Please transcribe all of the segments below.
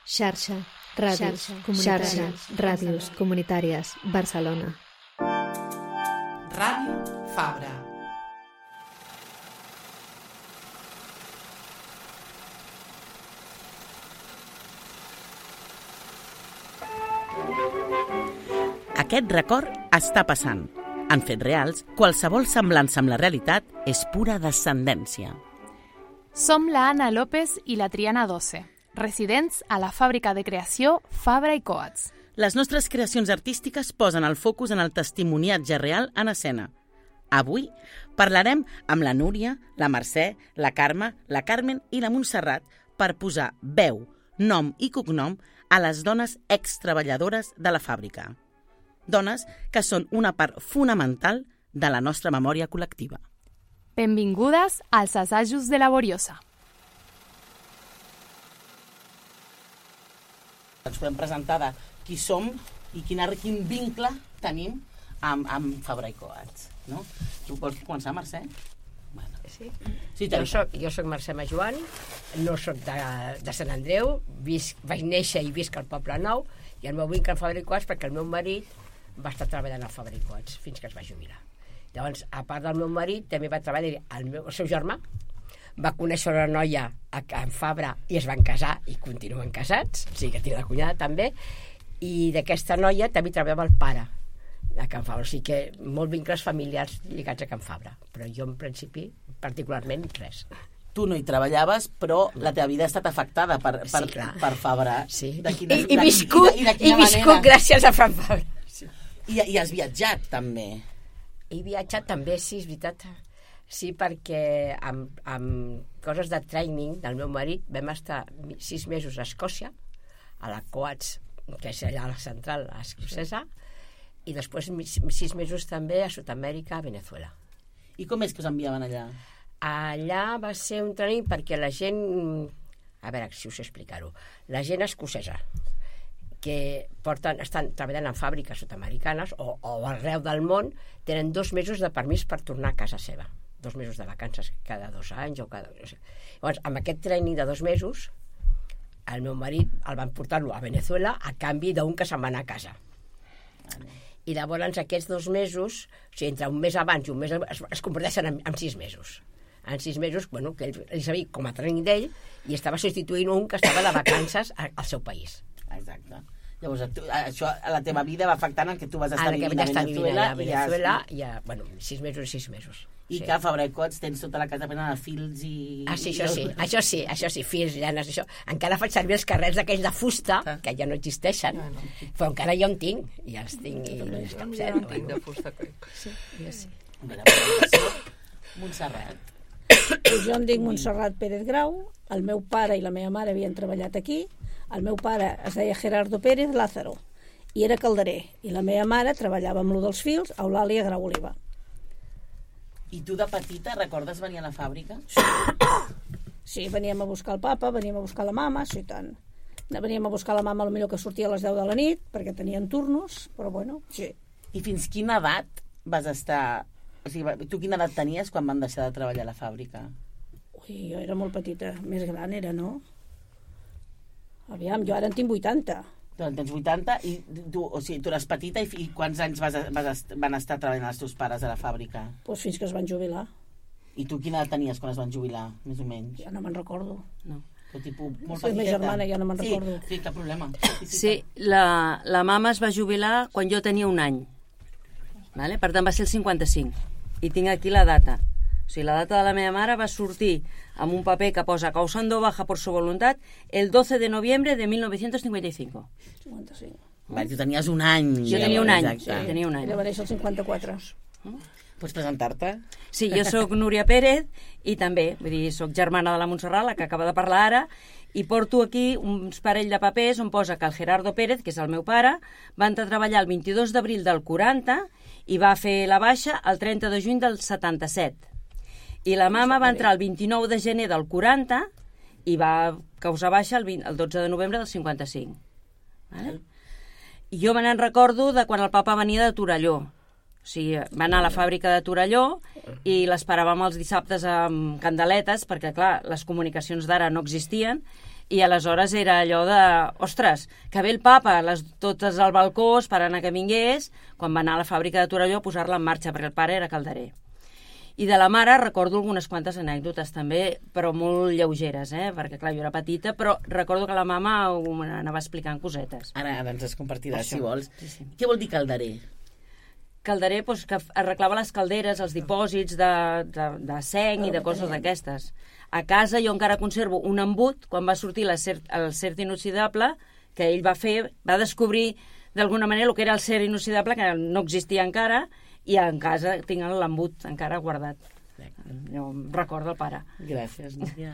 Xarxa, ràdios comunitàries, Barcelona. Ràdio Fabra. Aquest record està passant. En fets reals, qualsevol semblança amb la realitat és pura descendència. Som la Anna López i la Triana Doce, residents a la fàbrica de creació Fabra i Coats. Les nostres creacions artístiques posen el focus en el testimoniatge real en escena. Avui parlarem amb la Núria, la Mercè, la Carme, la Carmen i la Montserrat per posar veu, nom i cognom a les dones extreballadores de la fàbrica. Dones que són una part fonamental de la nostra memòria col·lectiva. Benvingudes als assajos de Laboriosa. Ens podem presentar de qui som i quin vincle tenim amb Fabra i Coats. No? Tu vols començar, Mercè? Bueno. Sí. Jo soc Mercè Majoan, no soc de Sant Andreu, vaig néixer i visc al Poble Nou, i el meu vincle amb Fabra i Coats perquè el meu marit va estar treballant a Fabra i Coats fins que es va jubilar. Llavors, a part del meu marit, també va treballar el seu germà, va conèixer una noia en Fabra i es van casar i continuen casats, o sigui que tinc la cunyada també, i d'aquesta noia també treballava el pare a Can Fabra, o sigui que molts vincles familiars lligats a Can Fabra, però jo en principi particularment res. Tu no hi treballaves, però la teva vida ha estat afectada per Fabra. Sí. I viscut gràcies a Can Fabra. Sí. I has viatjat també. He viatjat també, sí, és veritat. Sí, perquè amb coses de training del meu marit vam estar 6 mesos a Escòcia, a la Coats, que és allà a la central escocesa, i després 6 mesos també a Sud-amèrica, a Venezuela. I com és que us enviaven allà? Allà va ser un training perquè la gent, a veure si us explicar-ho, la gent escocesa que estan treballant en fàbriques sud-americanes o arreu del món, tenen 2 mesos de permís per tornar a casa seva. 2 mesos de vacances cada 2 anys o cada... Llavors, amb aquest training de 2 mesos, el meu marit el van portar-lo a Venezuela a canvi d'un que se'n va anar a casa. I llavors aquests 2 mesos, o sigui, entre un mes abans i un mes es converteixen en 6 mesos. En 6 mesos, bueno, que ell sabia com a training d'ell i estava substituint un que estava de vacances al seu país. Exacte. Llavors, això a la teva vida va afectant en que tu vas estar vivint a Venezuela i a, bueno, 6 mesos i 6 mesos. I que a Fabra i Coats tens tota la casa plena de fils i... Sí, això sí, fils, llanes, això. Encara faig servir els carrers d'aquells de fusta, que ja no existeixen, però encara jo en tinc, i els tinc. Jo en tinc de fusta, crec. Sí, jo sí. Montserrat. Jo em dic Montserrat Pérez Grau, el meu pare i la meva mare havien treballat aquí, el meu pare es deia Gerardo Pérez Lázaro i era calderer, i la meva mare treballava amb lo dels fils a Eulàlia Grau Oliva. I tu de petita recordes venir a la fàbrica? Sí, veníem a buscar el papa, veníem a buscar la mama, sí, tant. Veníem a buscar la mama potser que sortia a les 10 de la nit, perquè tenien turnos, però bueno, sí. I fins quina edat vas estar... O sigui, tu quina edat tenies quan van deixar de treballar a la fàbrica? Ui, jo era molt petita, més gran era, no? Aviam, jo ara en tinc 80. Tu en tens 80 i tu eres petita i quants anys van estar treballant els teus pares a la fàbrica? Doncs fins que es van jubilar. I tu quina edat tenies quan es van jubilar, més o menys? Ja no me'n recordo. No. Però tipus molt petiteta. La meva germana ja no me'n recordo. Sí, cap problema. Sí, la mama es va jubilar quan jo tenia 1 any. Vale? Per tant, va ser el 55. I tinc aquí la data. O sigui, la data de la meva mare va sortir amb un paper que posa causando baja por su voluntad el 12 de noviembre de 1955. 55. Vale, tu tenies 1 any. Jo tenia 1 any. Sí. Tenia 1 any. Ella va néixer el 54. Pots presentar-te? Sí, jo sóc Núria Pérez i també, vull dir, sóc germana de la Montserrat, la que acaba de parlar ara, i porto aquí uns parell de papers on posa que el Gerardo Pérez, que és el meu pare, va entrar a treballar el 22 d'abril del 40 i va fer la baixa el 30 de juny del 77. I la mama va entrar el 29 de gener del 40 i va causar baixa el 12 de novembre del 55. Vale? I jo me n'en recordo de quan el papa venia de Torelló. O sigui, va anar a la fàbrica de Torelló i l'esperàvem els dissabtes amb candeletes, perquè, clar, les comunicacions d'ara no existien, I aleshores era allò de, ostres, que ve el papa, totes al balcó esperant que vingués, quan va anar a la fàbrica de Torelló a posar-la en marxa, perquè el pare era calderer. I de la mare recordo algunes quantes anècdotes també, però molt lleugeres, perquè clar, jo era petita, però recordo que la mama anava explicant cosetes. Ara ens has compartiràs, Això. si vols. Sí. Què vol dir calderer? Calderer, doncs, que arreglava les calderes, els dipòsits de seny i de coses d'aquestes. A casa jo encara conservo un embut, quan va sortir el cert inoxidable, que ell va descobrir d'alguna manera el que era el cert inoxidable, que no existia encara, i en casa tinc l'embut encara guardat. Jo em recordo el pare. Gràcies, Núria.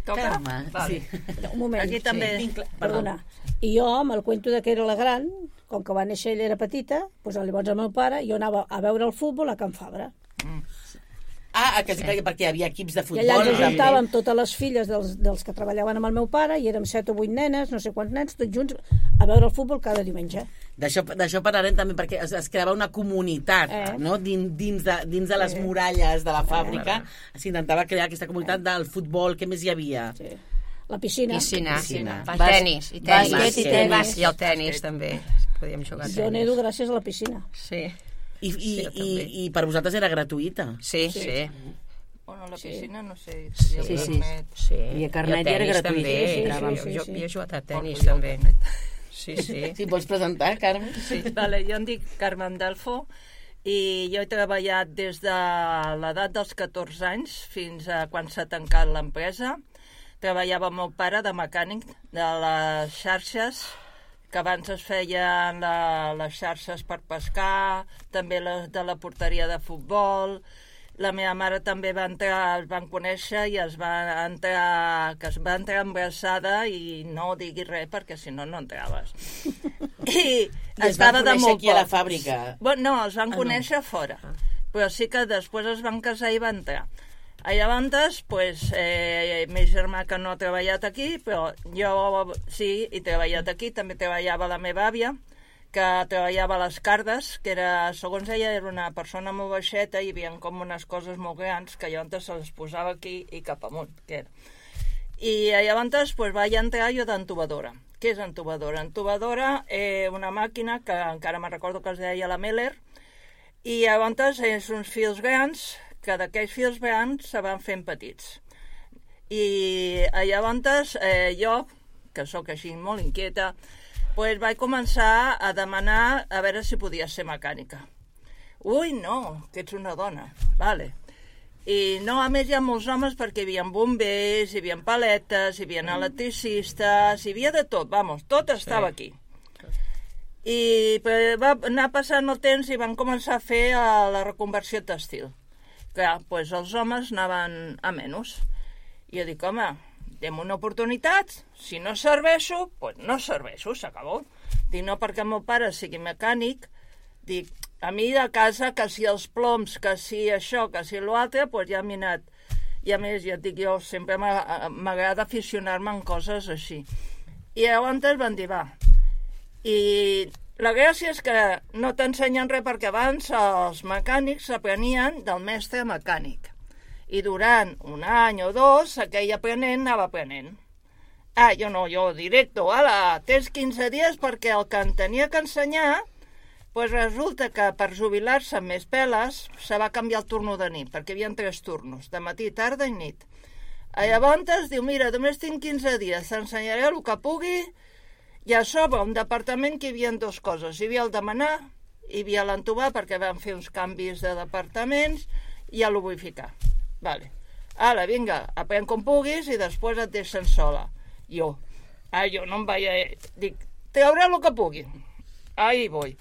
Toca? Carme, Vale. sí. Un moment. Aquí també. Perdona. I jo, amb el cuento de que era la gran, com que va néixer ella era petita, doncs llavors el meu pare, jo anava a veure el futbol a Can Fabra. Que sí, perquè hi havia equips de I futbol. allà ens també. ajuntàvem totes les filles dels que treballaven amb el meu pare, i érem 7 o 8 nenes, no sé quants nens, tots junts, a veure el futbol cada diumenge. D'això parlarem també, perquè es creava una comunitat, no? Dins de les muralles de la fàbrica. S'intentava crear aquesta comunitat del futbol. Què més hi havia? Sí. La piscina. Piscina. Tenis. I Bàsquet i tenis. I el tenis, també. Podíem jugar a Jo tenis. nedo gràcies a la piscina. Sí. I per vosaltres era gratuïta? Sí. Bueno, la piscina, no sé. Sí. I el carnet era gratuït. També. Sí. Jo he jugat a tenis, també. Sí. Sí, vols presentar, Carme? Sí. Vale, jo em dic Carmen Delfo i jo he treballat des de l'edat dels 14 anys fins a quan s'ha tancat l'empresa. Treballava amb el pare de mecànic de les xarxes, que abans es feien les xarxes per pescar, també les de la porteria de futbol. La meva mare també es van conèixer i es va entrar embarassada, i no diguis res perquè si no entraves. I es van estava de conèixer molt aquí a la poc. fàbrica? Bueno, no, els van conèixer fora, però sí que després es van casar i van entrar. Llavors, pues, meu germà que no ha treballat aquí, però jo sí, he treballat aquí. També treballava la meva àvia, que treballava a les Cardes, que era, segons ella, era una persona molt baixeta i hi havia com unes coses molt grans que llavors se les posava aquí i cap amunt, que era. I llavors pues, vaig entrar jo d'entubadora. Què és entubadora? Entubadora, una màquina que encara me'n recordo que es deia la Meller, i llavors és uns fils grans, que d'aquells fils grans se van fent petits. I llavors jo, que sóc així molt inquieta, pues vaig començar a demanar a veure si podia ser mecànica. Ui, no, que ets una dona. Vale. I no, a més hi ha molts homes perquè hi havia bombers, hi havia paletes, hi havia electricistes, hi havia de tot, vamos, tot estava aquí. I va anar passant el temps i van començar a fer la reconversió textil. Clar, doncs els homes anaven a menys. I jo dic, home, dem una oportunitat, si no serveixo, doncs no serveixo, s'acabó. Dic, no perquè el meu pare sigui mecànic, dic, a mi de casa, que si els ploms, que si això, que si l'altre, doncs ja m'he anat. I a més, ja et dic, jo sempre m'agrada aficionar-me en coses així. I llavors van dir, va. I la gràcia és que no t'ensenyen res perquè abans els mecànics s'aprenien del mestre mecànic. I durant un any o dos, aquell aprenent anava aprenent. Jo no, jo directo, tens 15 dies perquè el que en tenia que ensenyar, doncs resulta que per jubilar-se amb més peles se va canviar el turno de nit, perquè hi havia 3 turnos, de matí, tarda i nit. Llavors diu, mira, només tinc 15 dies, t'ensenyaré el que pugui. I a sobre, un departament que hi havia 2 coses. Hi havia el demanar, hi havia l'entubar, perquè van fer uns canvis de departaments, i el vull ficar. Vale. Ara, vinga, aprèn com puguis i després et deixen sola. Jo no em vaig... Dic, trauré el que pugui. Ahí voy.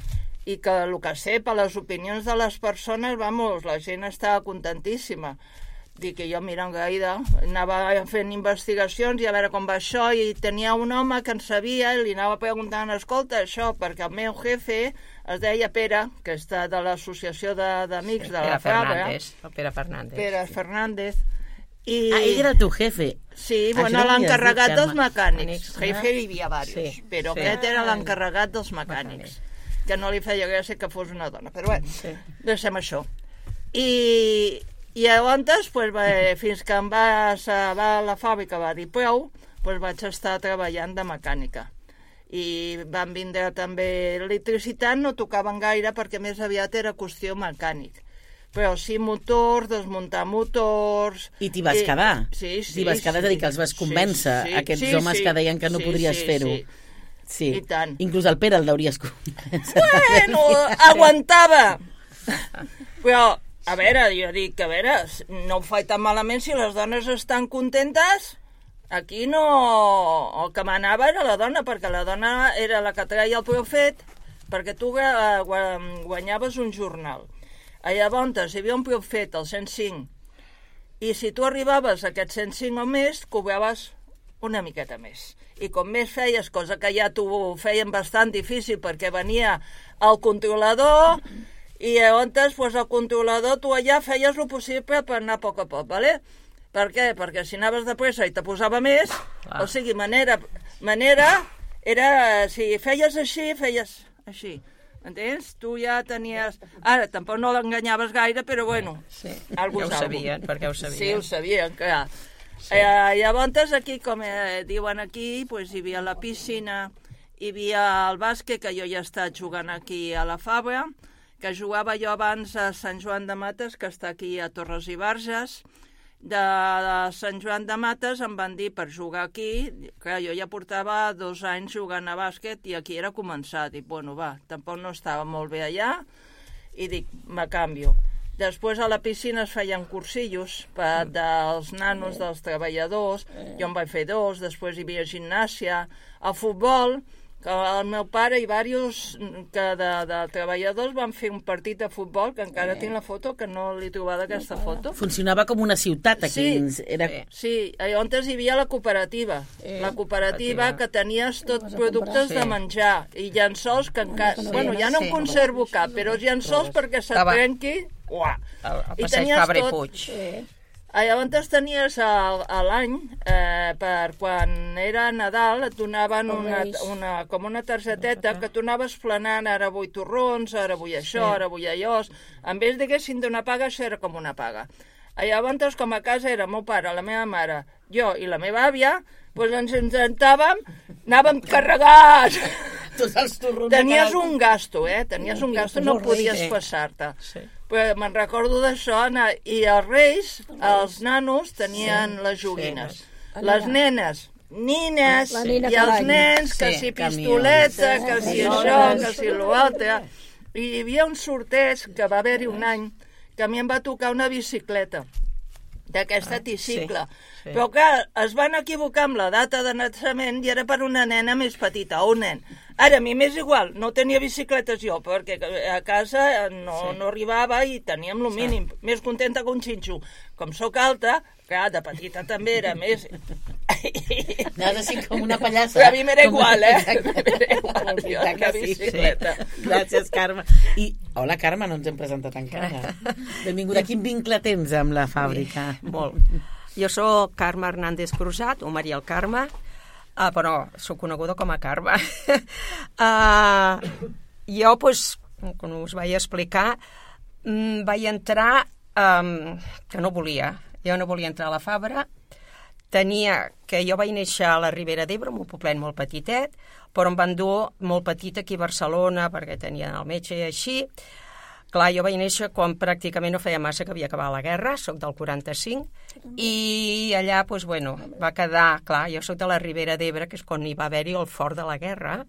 I que el que sé, per les opinions de les persones, vamos, la gent estava contentíssima. Dic que jo, mira, gaire, anava fent investigacions i a veure com va això, i tenia un home que en sabia i li anava preguntant, escolta, això, perquè el meu jefe es deia Pere, que està de l'associació d'amics de la Fabra. Pere Fernández. Pere Fernández. Ell era el teu jefe. Sí, bueno, l'encarregat dels mecànics. Jefe hi havia diversos, però aquest era l'encarregat dels mecànics, que no li feia gràcia que fos una dona. Però bé, deixem això. I llavors, fins que em va a la fàbrica, va dir prou, doncs vaig estar treballant de mecànica. I van vindre també electricitat, no tocaven gaire perquè més aviat era qüestió mecànic. Però sí motors, desmuntar motors... I t'hi vas quedar? Sí. T'hi vas quedar, és a dir, que els vas convèncer, aquests homes que deien que no podries fer-ho. Sí, i tant. Inclús el Pere el deuries convèncer. Bueno, aguantava! Però, a veure, jo dic, no ho faig tan malament si les dones estan contentes. Aquí no... El que manava era la dona, perquè la dona era la que treia el profet, perquè tu guanyaves un jornal. Llavors hi havia un profet, el 105, i si tu arribaves a aquest 105 o més, cobraves una miqueta més. I com més feies, cosa que ja t'ho feien bastant difícil, perquè venia el controlador, i llavors, doncs, el controlador, tu allà feies el possible per anar a poc a poc, ¿vale? Per què? Perquè si anaves de pressa i te posava més, o sigui, manera era, si feies així, feies així. Entens? Tu ja tenies... Ara, tampoc no l'enganyaves gaire, però bueno... Sí, ja ho sabien, perquè ho sabien. Sí, ho sabien, clar. Sí. Llavors, aquí, com diuen aquí, pues, hi havia la piscina, hi havia el bàsquet, que jo ja he estat jugant aquí a la Fabra, que jugava jo abans a Sant Joan de Mates, que està aquí a Torres i Barges. De Sant Joan de Mates em van dir per jugar aquí, que jo ja portava 2 anys jugant a bàsquet i aquí era començar. Dic, bueno, va, tampoc no estava molt bé allà i dic, me canvio. Després a la piscina es feien cursillos dels nanos, dels treballadors, jo en vaig fer 2, després hi havia gimnàsia, a futbol, que el meu pare i diversos de treballadors van fer un partit de futbol, que encara tinc la foto, que no l'he trobat aquesta foto. Funcionava com una ciutat aquí. Sí, llavors hi havia la cooperativa. La cooperativa que tenies tots productes de menjar i llençols que encara... Bueno, ja no en conservo cap, però els llençols perquè se't trenqui... Uah! El passeig Fabra i Puig. Llavors tenies a l'any, per quan era Nadal, et donaven com una targeteta que tu anaves planant, ara vull torrons, ara vull això, ara vull allò. En vez diguessin d'una paga, això era com una paga. Llavors, com a casa era el meu pare, la meva mare, jo i la meva àvia, doncs ens intentàvem, anàvem carregats. Tenies un gasto, Tenies un gasto, no podies passar-te. Però me'n recordo d'això, i els reis, els nanos, tenien les joguines. Les nenes, nines, i els nens, que si pistoleta, que si això, que si l'altre. I hi havia un sorteig, que va haver-hi un any, que a mi em va tocar una bicicleta, d'aquesta tricicle. Però clar, es van equivocar amb la data de naixement i era per una nena més petita, o un nen. Ara, a mi m'és igual, no tenia bicicletes jo, perquè a casa no arribava i teníem el mínim. Més contenta que un xinxo. Com sóc alta, clar, de petita també era més... Anaves així com una pallassa. Però a mi m'era igual, M'era igual, jo, la bicicleta. Gràcies, Carme. I, hola, Carme, no ens hem presentat encara. Benvinguda. Quin vincle tens amb la fàbrica? Molt. Jo sóc Carme Hernández Cruzat, o Maria el Carme, però sóc coneguda com a Carme. Jo, com us vaig explicar, vaig entrar que no volia. Jo no volia entrar a la Fabra. Jo vaig néixer a la Ribera d'Ebre, un poblet molt petitet, però em van dur molt petit aquí a Barcelona perquè tenien el metge i així. Clar, jo vaig néixer quan pràcticament no feia massa que havia acabat la guerra, soc del 45, i allà, va quedar, clar, jo soc de la Ribera d'Ebre, que és quan hi va haver-hi el fort de la guerra,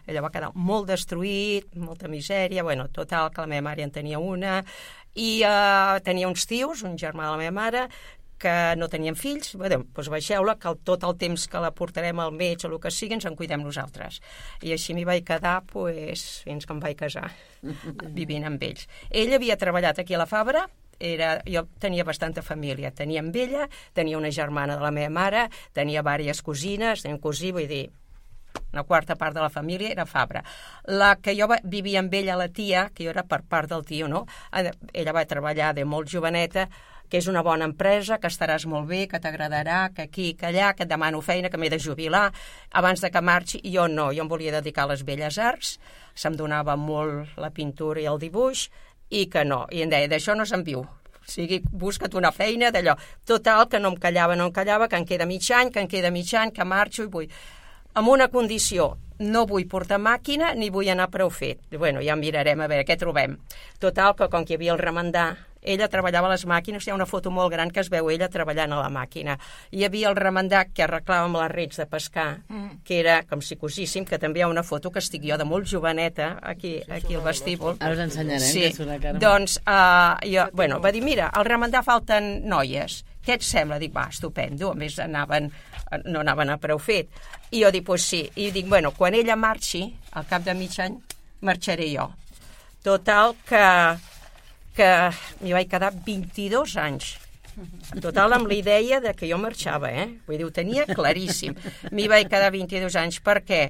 allò va quedar molt destruït, molta misèria, total, que la meva mare en tenia una, i tenia uns tios, un germà de la meva mare, que no tenien fills, baixeu-la, que tot el temps que la portarem al metge o el que sigui, ens en cuidem nosaltres. I així m'hi vaig quedar fins que em vaig casar, vivint amb ells. Ell havia treballat aquí a la Fabra, jo tenia bastanta família, tenia amb ella, tenia una germana de la meva mare, tenia diverses cosines, tenia un cosí, vull dir, una quarta part de la família era Fabra. La que jo vivia amb ella, la tia, que jo era per part del tio, no? Ella va treballar de molt joveneta, que és una bona empresa, que estaràs molt bé, que t'agradarà, que aquí, que allà, que et demano feina, que m'he de jubilar, abans de que marxi. I jo no, jo em volia dedicar a les belles arts, se'm donava molt la pintura i el dibuix, i que no. I em deia, d'això no se'n viu. O sigui, busca't una feina d'allò. Total, que no em callava, que em queda mig any, que marxo i vull. Amb una condició, no vull portar màquina ni vull anar prou fet. Bueno, ja mirarem a veure què trobem. Total, que com que hi havia el remendar, ella treballava a les màquines, hi ha una foto molt gran que es veu ella treballant a la màquina. Hi havia el remendar que arreglava amb les rets de pescar, que era com si cosíssim, que també hi ha una foto que estic jo de molt joveneta, aquí al vestíbul. Ara us ensenyarem, que és una cara. Doncs, jo, va dir, mira, al remendar falten noies. Què et sembla? Dic, va, estupendo. A més, no anaven a prou fet. I jo dic, pues sí. I dic, bueno, quan ella marxi, al cap de mig any, marxaré jo. Total, que m'hi vaig quedar 22 anys. Total, amb la idea de que jo marxava, Vull dir, ho tenia claríssim. M'hi vaig quedar 22 anys. Per què?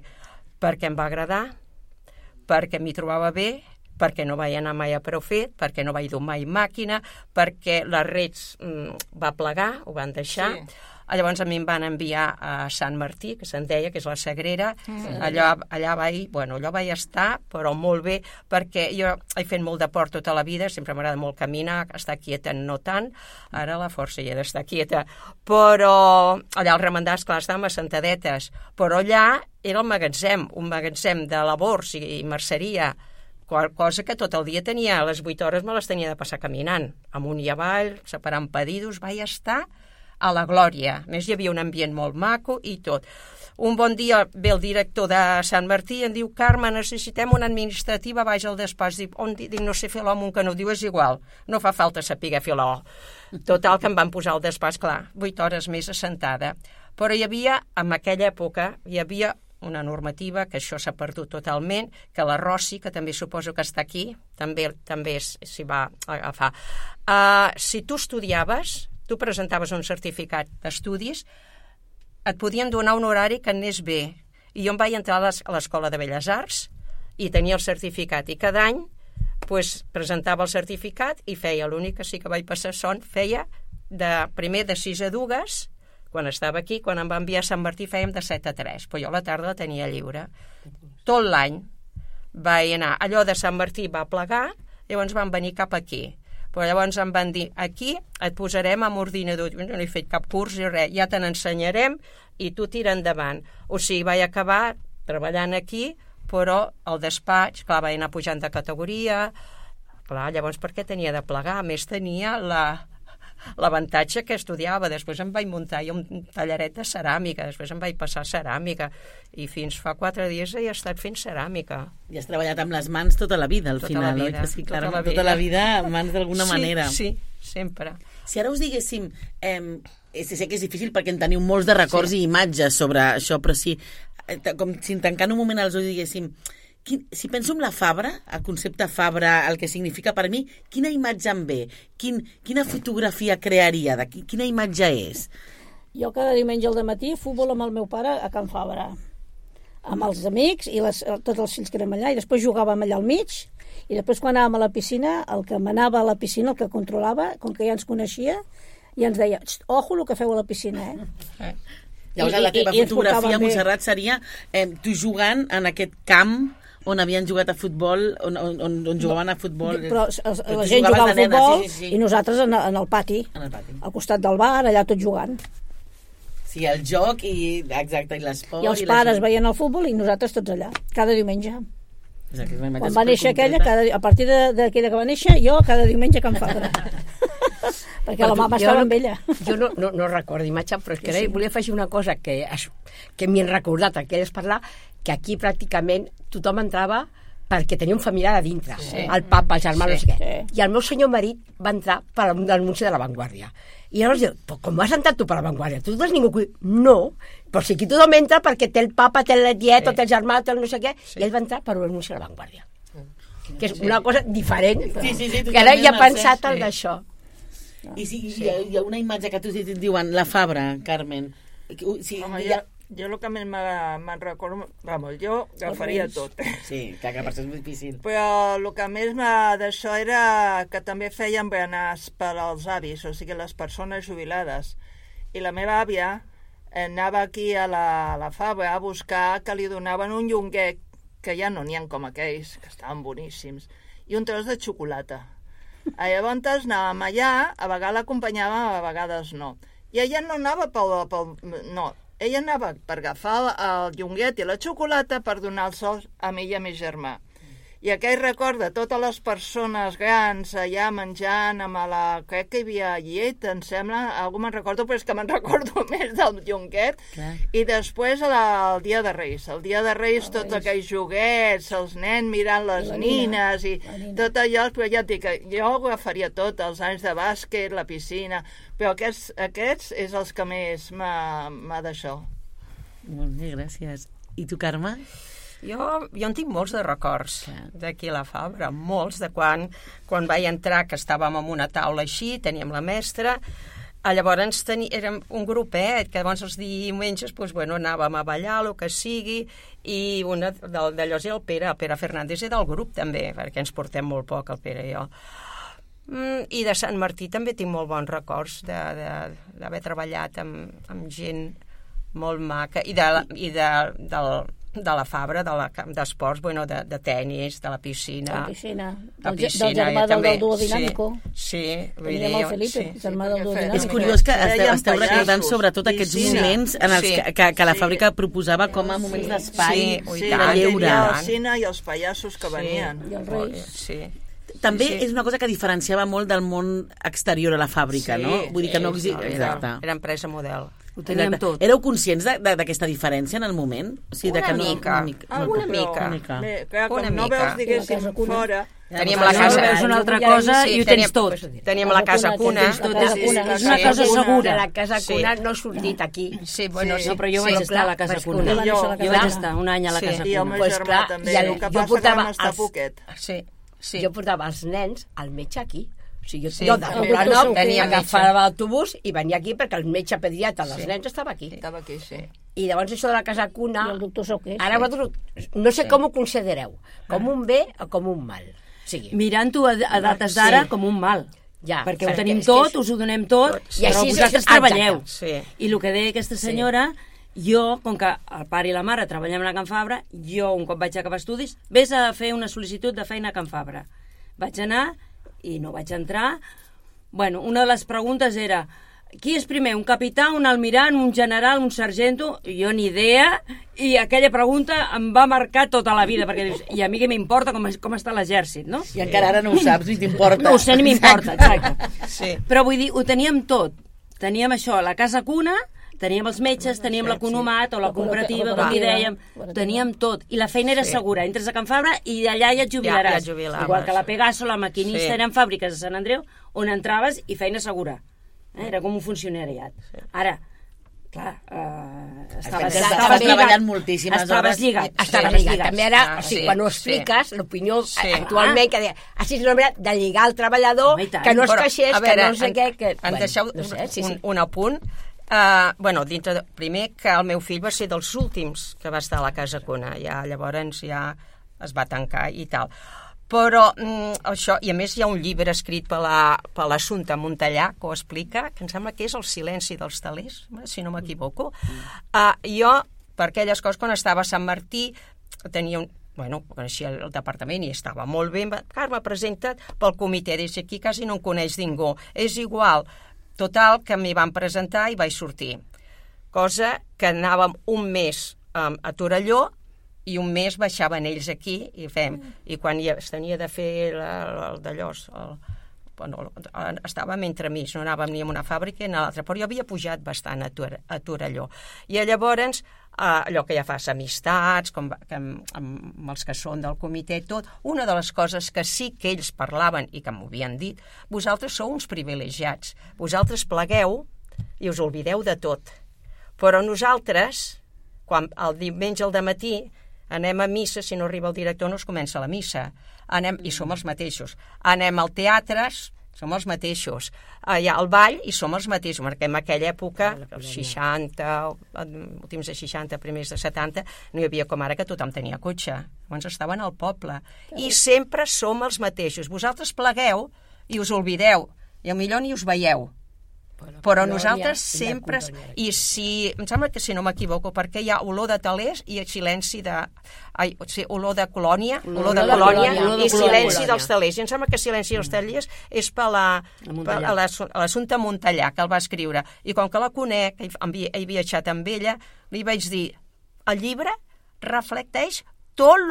Perquè em va agradar, perquè m'hi trobava bé, perquè no vaig anar mai a prou fet, perquè no vaig dur mai màquina, perquè les rets va plegar, ho van deixar. Sí. Llavors a mi em van enviar a Sant Martí, que se'n deia, que és la Sagrera. Allà vaig estar, però molt bé, perquè jo he fet molt de port tota la vida, sempre m'agrada molt caminar, estar quieta no tant, ara la força hi he d'estar quieta, però allà al remendar, esclar, estàvem assentadetes, però allà era el magatzem, un magatzem de labors i merceria, cosa que tot el dia tenia, a les 8 hores me les tenia de passar caminant, amunt i avall, separant pedidos, vaig estar a la glòria. A més, hi havia un ambient molt maco i tot. Un bon dia ve el director de Sant Martí i em diu, Carme, necessitem una administrativa, vaig al despatx. Dic, no sé fer l'home, que no ho diu, és igual. No fa falta saber fer l'O. Total, que em van posar al despatx, clar, 8 hores més assentada. Però hi havia, en aquella època, hi havia una normativa, que això s'ha perdut totalment, que la Rossi, que també suposo que està aquí, també s'hi va agafar. Si tu estudiaves, tu presentaves un certificat d'estudis, et podien donar un horari que anés bé. I jo em vaig entrar a l'Escola de Belles Arts i tenia el certificat. I cada any presentava el certificat i feia, l'únic que sí que vaig passar feia primer de 6 a 2, quan estava aquí, quan em va enviar a Sant Martí fèiem de 7 a 3, però jo a la tarda la tenia lliure. Tot l'any vaig anar. Allò de Sant Martí va plegar, llavors van venir cap aquí. Però llavors em van dir, aquí et posarem amb ordinador. Jo no he fet cap curs ni res, ja te n'ensenyarem i tu tira endavant. O sigui, vaig acabar treballant aquí, però al despatx, clar, vaig anar pujant de categoria. Clar, llavors per què tenia de plegar? A més, tenia l'avantatge que estudiava. Després em vaig muntar un tallaret de ceràmica, després em vaig passar a ceràmica i fins fa 4 dies he estat fent ceràmica. I has treballat amb les mans tota la vida, al final, oi? Sí, clar, tota la vida amb mans d'alguna manera. Sí, sempre. Si ara us diguéssim, sé que és difícil perquè en teniu molts de records i imatges sobre això, però si, com si tancant un moment els ulls diguéssim, si penso en la Fabra, el concepte Fabra, el que significa per mi, quina imatge em ve? Quina fotografia crearia? Quina imatge és? Jo cada diumenge al dematí futbol amb el meu pare a Can Fabra, amb els amics i tots els fills que érem allà, i després jugàvem allà al mig, i després quan anàvem a la piscina, el que manava a la piscina, el que controlava, com que ja ens coneixia, ja ens deia, ojo el que feu a la piscina, Llavors la teva fotografia, Montserrat, seria tu jugant en aquest camp on havien jugat a futbol, on jugaven a futbol. Però la gent jugava a futbol i nosaltres en el pati, al costat del bar, allà tot jugant. Sí, el joc i l'esport. I els pares veien el futbol i nosaltres tots allà, cada diumenge. Quan va néixer aquella, a partir d'aquella que va néixer, jo cada diumenge a Can Fabra. Perquè la mama estava amb ella. Jo no recordo imatge, però és que volia afegir una cosa que m'hi han recordat, que és parlar, que aquí pràcticament tothom entrava perquè tenia un familiar a dintre, el papa, el germà, no sé què. I el meu senyor marit va entrar per l'anunci de La Vanguardia. I llavors diu, com has entrat tu per La Vanguardia? Tu no tens ningú aquí? No, però sí que tothom entra perquè té el papa, té el tiet, té el germà, té el no sé què, i ell va entrar per l'anunci de La Vanguardia. Que és una cosa diferent, que ara ja he pensat en això. I hi ha una imatge que tu diuen, la Fabra, Carmen. Home, jo el que més me'n recordo, jo agafaria tot. Sí, que per això és difícil. Però el que més d'això era que també feien berenars per als avis, o sigui, les persones jubilades. I la meva àvia anava aquí a la Fabra a buscar que li donaven un llonguet, que ja no n'hi ha com aquells, que estaven boníssims, i un tros de xocolata. Llavors anàvem allà, a vegades l'acompanyàvem, a vegades no. I ella no anava no, ella anava per agafar el llonguet i la xocolata per donar els sols a mi i a mi germà. I aquell record de totes les persones grans allà menjant amb crec que hi havia llet, em sembla, algú me'n recordo, però és que me'n recordo més del llonguet. Clar. I després el Dia de Reis. El Dia de Reis, tots aquells joguets, els nens mirant les nines i tot allò, però ja et dic, jo ho agafaria tot, els anys de bàsquet, la piscina, però aquests és els que més m'ha d'això. Molt bé, gràcies. I tu, Carme? Jo en tinc molts de records d'aquí a la Fabra, molts de quan vaig entrar, que estàvem en una taula així, teníem la mestra, llavors érem un grupet, que llavors els diumenges anàvem a ballar, el que sigui, i una d'allò és el Pere Fernández és del grup també, perquè ens portem molt poc, el Pere i jo. I de Sant Martí també tinc molt bons records d'haver treballat amb gent molt maca, i de la Fabra, d'esports, de tennis, de la piscina. Del germà del duo dinàmico. Sí. Teníem el Felipe, germà del duo dinàmico. És curiós que esteu recordant sobretot aquests moments en els que la fàbrica proposava com a moments d'espai, de lleure. El cine i els pallassos que venien. I els reis. Sí. També és una cosa que diferenciava molt del món exterior a la fàbrica, no? Vull dir que no existia. Era empresa model. Ho teníem tot. Éreu conscients d'aquesta diferència en el moment? Una mica. Quan no veus, diguéssim, fora... Teníem la casa... És una altra cosa i ho tens tot. Teníem la casa cuna. És una cosa segura. La casa cuna no ha sortit aquí. Sí, bueno, sí, però jo vaig estar a la casa cuna. Jo vaig estar un any a la casa cuna. I el meu germà també. El que passa que vam estar poquet. Jo portava els nens al metge aquí. O sigui, jo de Poblenou agafava l'autobús i venia aquí perquè el metge pediatra dels nens estava aquí. Estava aquí, sí. I llavors això de la casa cuna... I el doctor Soquer. Ara vosaltres no sé com ho considereu, com un bé o com un mal. Mirant-ho a dates d'ara com un mal. Ja, perquè ho tenim tot, us ho donem tot, però vosaltres treballeu. I el que deia aquesta senyora... Jo, com que el pare i la mare treballem a Can Fabra, jo, un cop vaig acabar estudis, vés a fer una sol·licitud de feina a Can Fabra. Vaig anar i no vaig entrar. Bueno, una de les preguntes era qui és primer, un capità, un almirant, un general, un sargento? Jo ni idea, i aquella pregunta em va marcar tota la vida, perquè dius, i a mi què m'importa com està l'exèrcit, no? I encara ara no ho saps, ni t'importa. No ho sé, ni m'importa, exacte. Però vull dir, ho teníem tot. Teníem això, la casa cuna, teníem els metges, teníem l'economat o la cooperativa, com li dèiem, teníem tot. I la feina era segura. Entres a Can Fabra i allà ja et jubilaràs. Igual que la Pegaso, la maquinista, eren fàbriques a Sant Andreu on entraves i feina segura. Era com un funcionariat. Ara, clar, estaves treballant moltíssimes hores. Estaves lligat. Estaves lligat. També ara, quan ho expliques, l'opinió actualment que deia, així és una manera de lligar el treballador, que no es queixés, que no sé què... Em deixeu un apunt. Primer que el meu fill va ser dels últims que va estar a la casa cuna, llavors ja es va tancar i tal. Però això, i a més hi ha un llibre escrit per l'Assumpta Montellà que ho explica, que em sembla que és El silenci dels telers, si no m'equivoco. Jo, per aquelles coses, quan estava a Sant Martí, tenia coneixia el departament i estava molt bé. Carme, presenta't pel comitè, des d'aquí quasi no en coneix ningú. És igual. Total, que m'hi van presentar i vaig sortir. Cosa que anàvem un mes a Torelló i un mes baixaven ells aquí i quan es tenia de fer el d'allò, estàvem entremig, no anàvem ni a una fàbrica ni a l'altra, però jo havia pujat bastant a Torelló. I llavors, allò que ja fas amistats, amb els que són del comitè, tot, una de les coses que sí que ells parlaven i que m'ho havien dit, vosaltres sou uns privilegiats, vosaltres plegueu i us oblideu de tot. Però nosaltres, quan el diumenge al dematí anem a missa, si no arriba el director no es comença la missa, i som els mateixos. Anem al teatre, som els mateixos. Allà al ball i som els mateixos, perquè en aquella època, els 60, últims de 60, primers de 70, no hi havia com ara que tothom tenia cotxe. Llavors estaven al poble. I sempre som els mateixos. Vosaltres plegueu i us oblideu. I millor ni us veieu. Però nosaltres sempre... I si... Em sembla que si no m'equivoco, perquè hi ha olor de talers i silenci de... olor de colònia, i silenci dels talers. I em sembla que silenci dels talers és per l'Assumpta Montellà, que el va escriure. I com que la conec, he viatjat amb ella, li vaig dir, el llibre reflecteix tot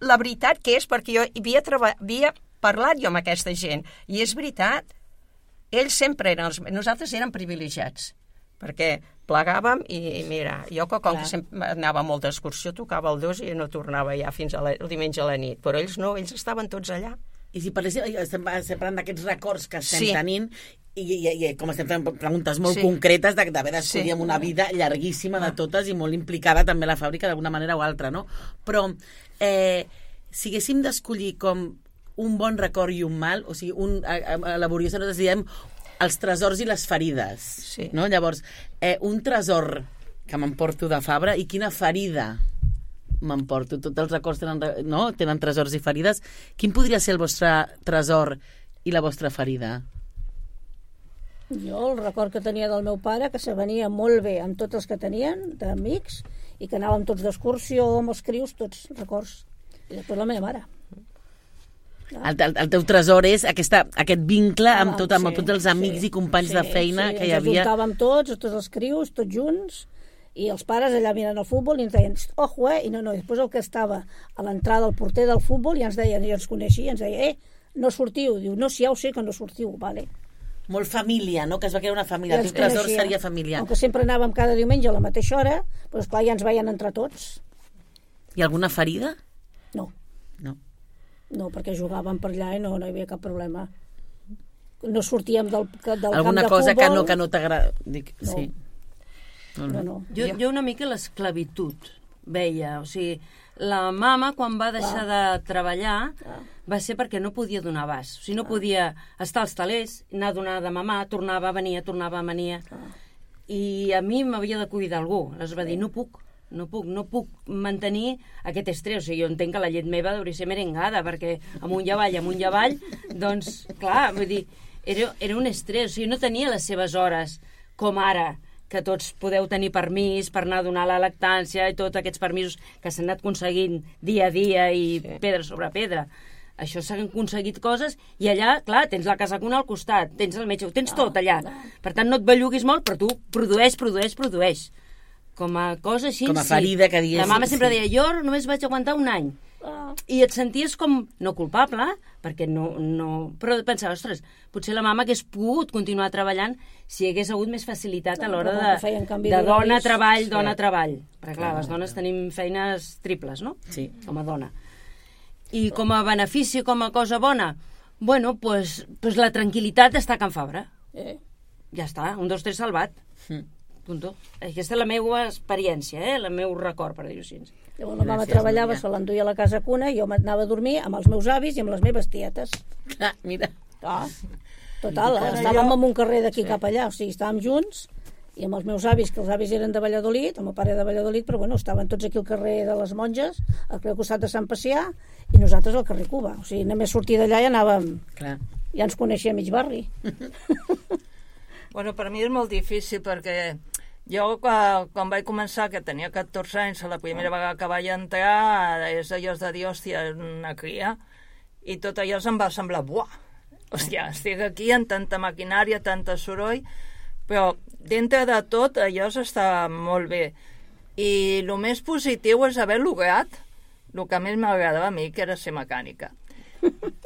la veritat que és, perquè jo havia parlat jo amb aquesta gent. I és veritat. Ells sempre eren... Nosaltres érem privilegiats, perquè plegàvem i mira, jo com que sempre anava molt d'excursió, tocava el 2 i no tornava ja fins el diumenge a la nit, però ells no, ells estaven tots allà. I si parléssim, estem parlant d'aquests records que estem tenint, i com estem fent preguntes molt concretes d'haver d'escollir amb una vida llarguíssima de totes i molt implicada també la fàbrica d'alguna manera o altra, no? Però si haguéssim d'escollir com un bon record i un mal, o sigui, a laboriosa nosaltres diem els tresors i les ferides, no? Llavors, un tresor que m'emporto de Fabra i quina ferida m'emporto. Tots els records tenen tresors i ferides. Quin podria ser el vostre tresor i la vostra ferida? Jo el record que tenia del meu pare, que se venia molt bé amb tots els que tenien, d'amics, i que anàvem tots d'excursió amb els crios, tots records. I després la meva mare. El teu tresor és aquest vincle amb tots els amics i companys de feina que hi havia. Ens ajuntàvem tots els crios, tots junts, i els pares allà mirant el futbol i ens deien, ojo, i no, després el que estava a l'entrada del porter del futbol ja ens deien, ja ens coneixia, ens deia, no sortiu, diu, no, si ja ho sé que no sortiu, vale. Molt família, no? Que es va crear una família, el teu tresor seria familiar. Com que sempre anàvem cada diumenge a la mateixa hora, doncs clar, ja ens veien entre tots. I alguna ferida? No. No, perquè jugàvem per allà i no hi havia cap problema. No sortíem del camp de futbol. Alguna cosa que no t'agrada? No. Sí. No. Jo una mica l'esclavitud veia, o sigui, la mama quan va deixar de treballar va ser perquè no podia donar abast, o sigui, no podia estar als talers, anar a donar de mamar, tornava, venia, i a mi m'havia de cuidar algú, aleshores va dir, no puc mantenir aquest estrès, o sigui, jo entenc que la llet meva hauria de ser merengada, perquè amunt i avall, doncs, clar, vull dir, era un estrès, o sigui, no tenia les seves hores, com ara, que tots podeu tenir permís per anar a donar la lactància i tots aquests permisos que s'han anat aconseguint dia a dia i pedra sobre pedra. Això s'han aconseguit coses i allà, clar, tens la casa cuna al costat, tens el metge, ho tens tot allà. Per tant, no et belluguis molt, però tu produeix. Com a cosa així, com a ferida que dius. La mama sempre deia, jo només vaig aguantar un any. I et senties com, no culpable, perquè no... Però pensava, ostres, potser la mama hagués pogut continuar treballant si hi hagués hagut més facilitat a l'hora de dona-treball. Perquè clar, les dones tenim feines triples, no? Sí. Com a dona. I com a benefici, com a cosa bona, bueno, pues la tranquil·litat d'estar a Can Fabra. Ja està, 1, 2, 3 salvat. Punto. Aquesta és la meva experiència, el meu record, per dir-ho així. Llavors la mama treballava, se l'enduia a la casa cuna i jo m'anava a dormir amb els meus avis i amb les meves tietes. Mira. Total, estàvem en un carrer d'aquí cap allà, o sigui, estàvem junts i amb els meus avis, que els avis eren de Valladolid, el meu pare de Valladolid, però bueno, estaven tots aquí al carrer de les Monges, al costat de Sant Pacià, i nosaltres al carrer Cuba. O sigui, només sortir d'allà i anàvem... Clar. Ja ens coneixia mig barri. Bueno, per mi és molt difícil perquè jo quan vaig començar, que tenia 14 anys, la primera vegada que vaig entrar és allò de dir, hòstia, una cria, i tot allò em va semblar, buah, hòstia, estic aquí amb tanta maquinària, tanta soroll, però dintre de tot allò està molt bé. I el més positiu és haver lograt el que més m'agradava a mi, que era ser mecànica.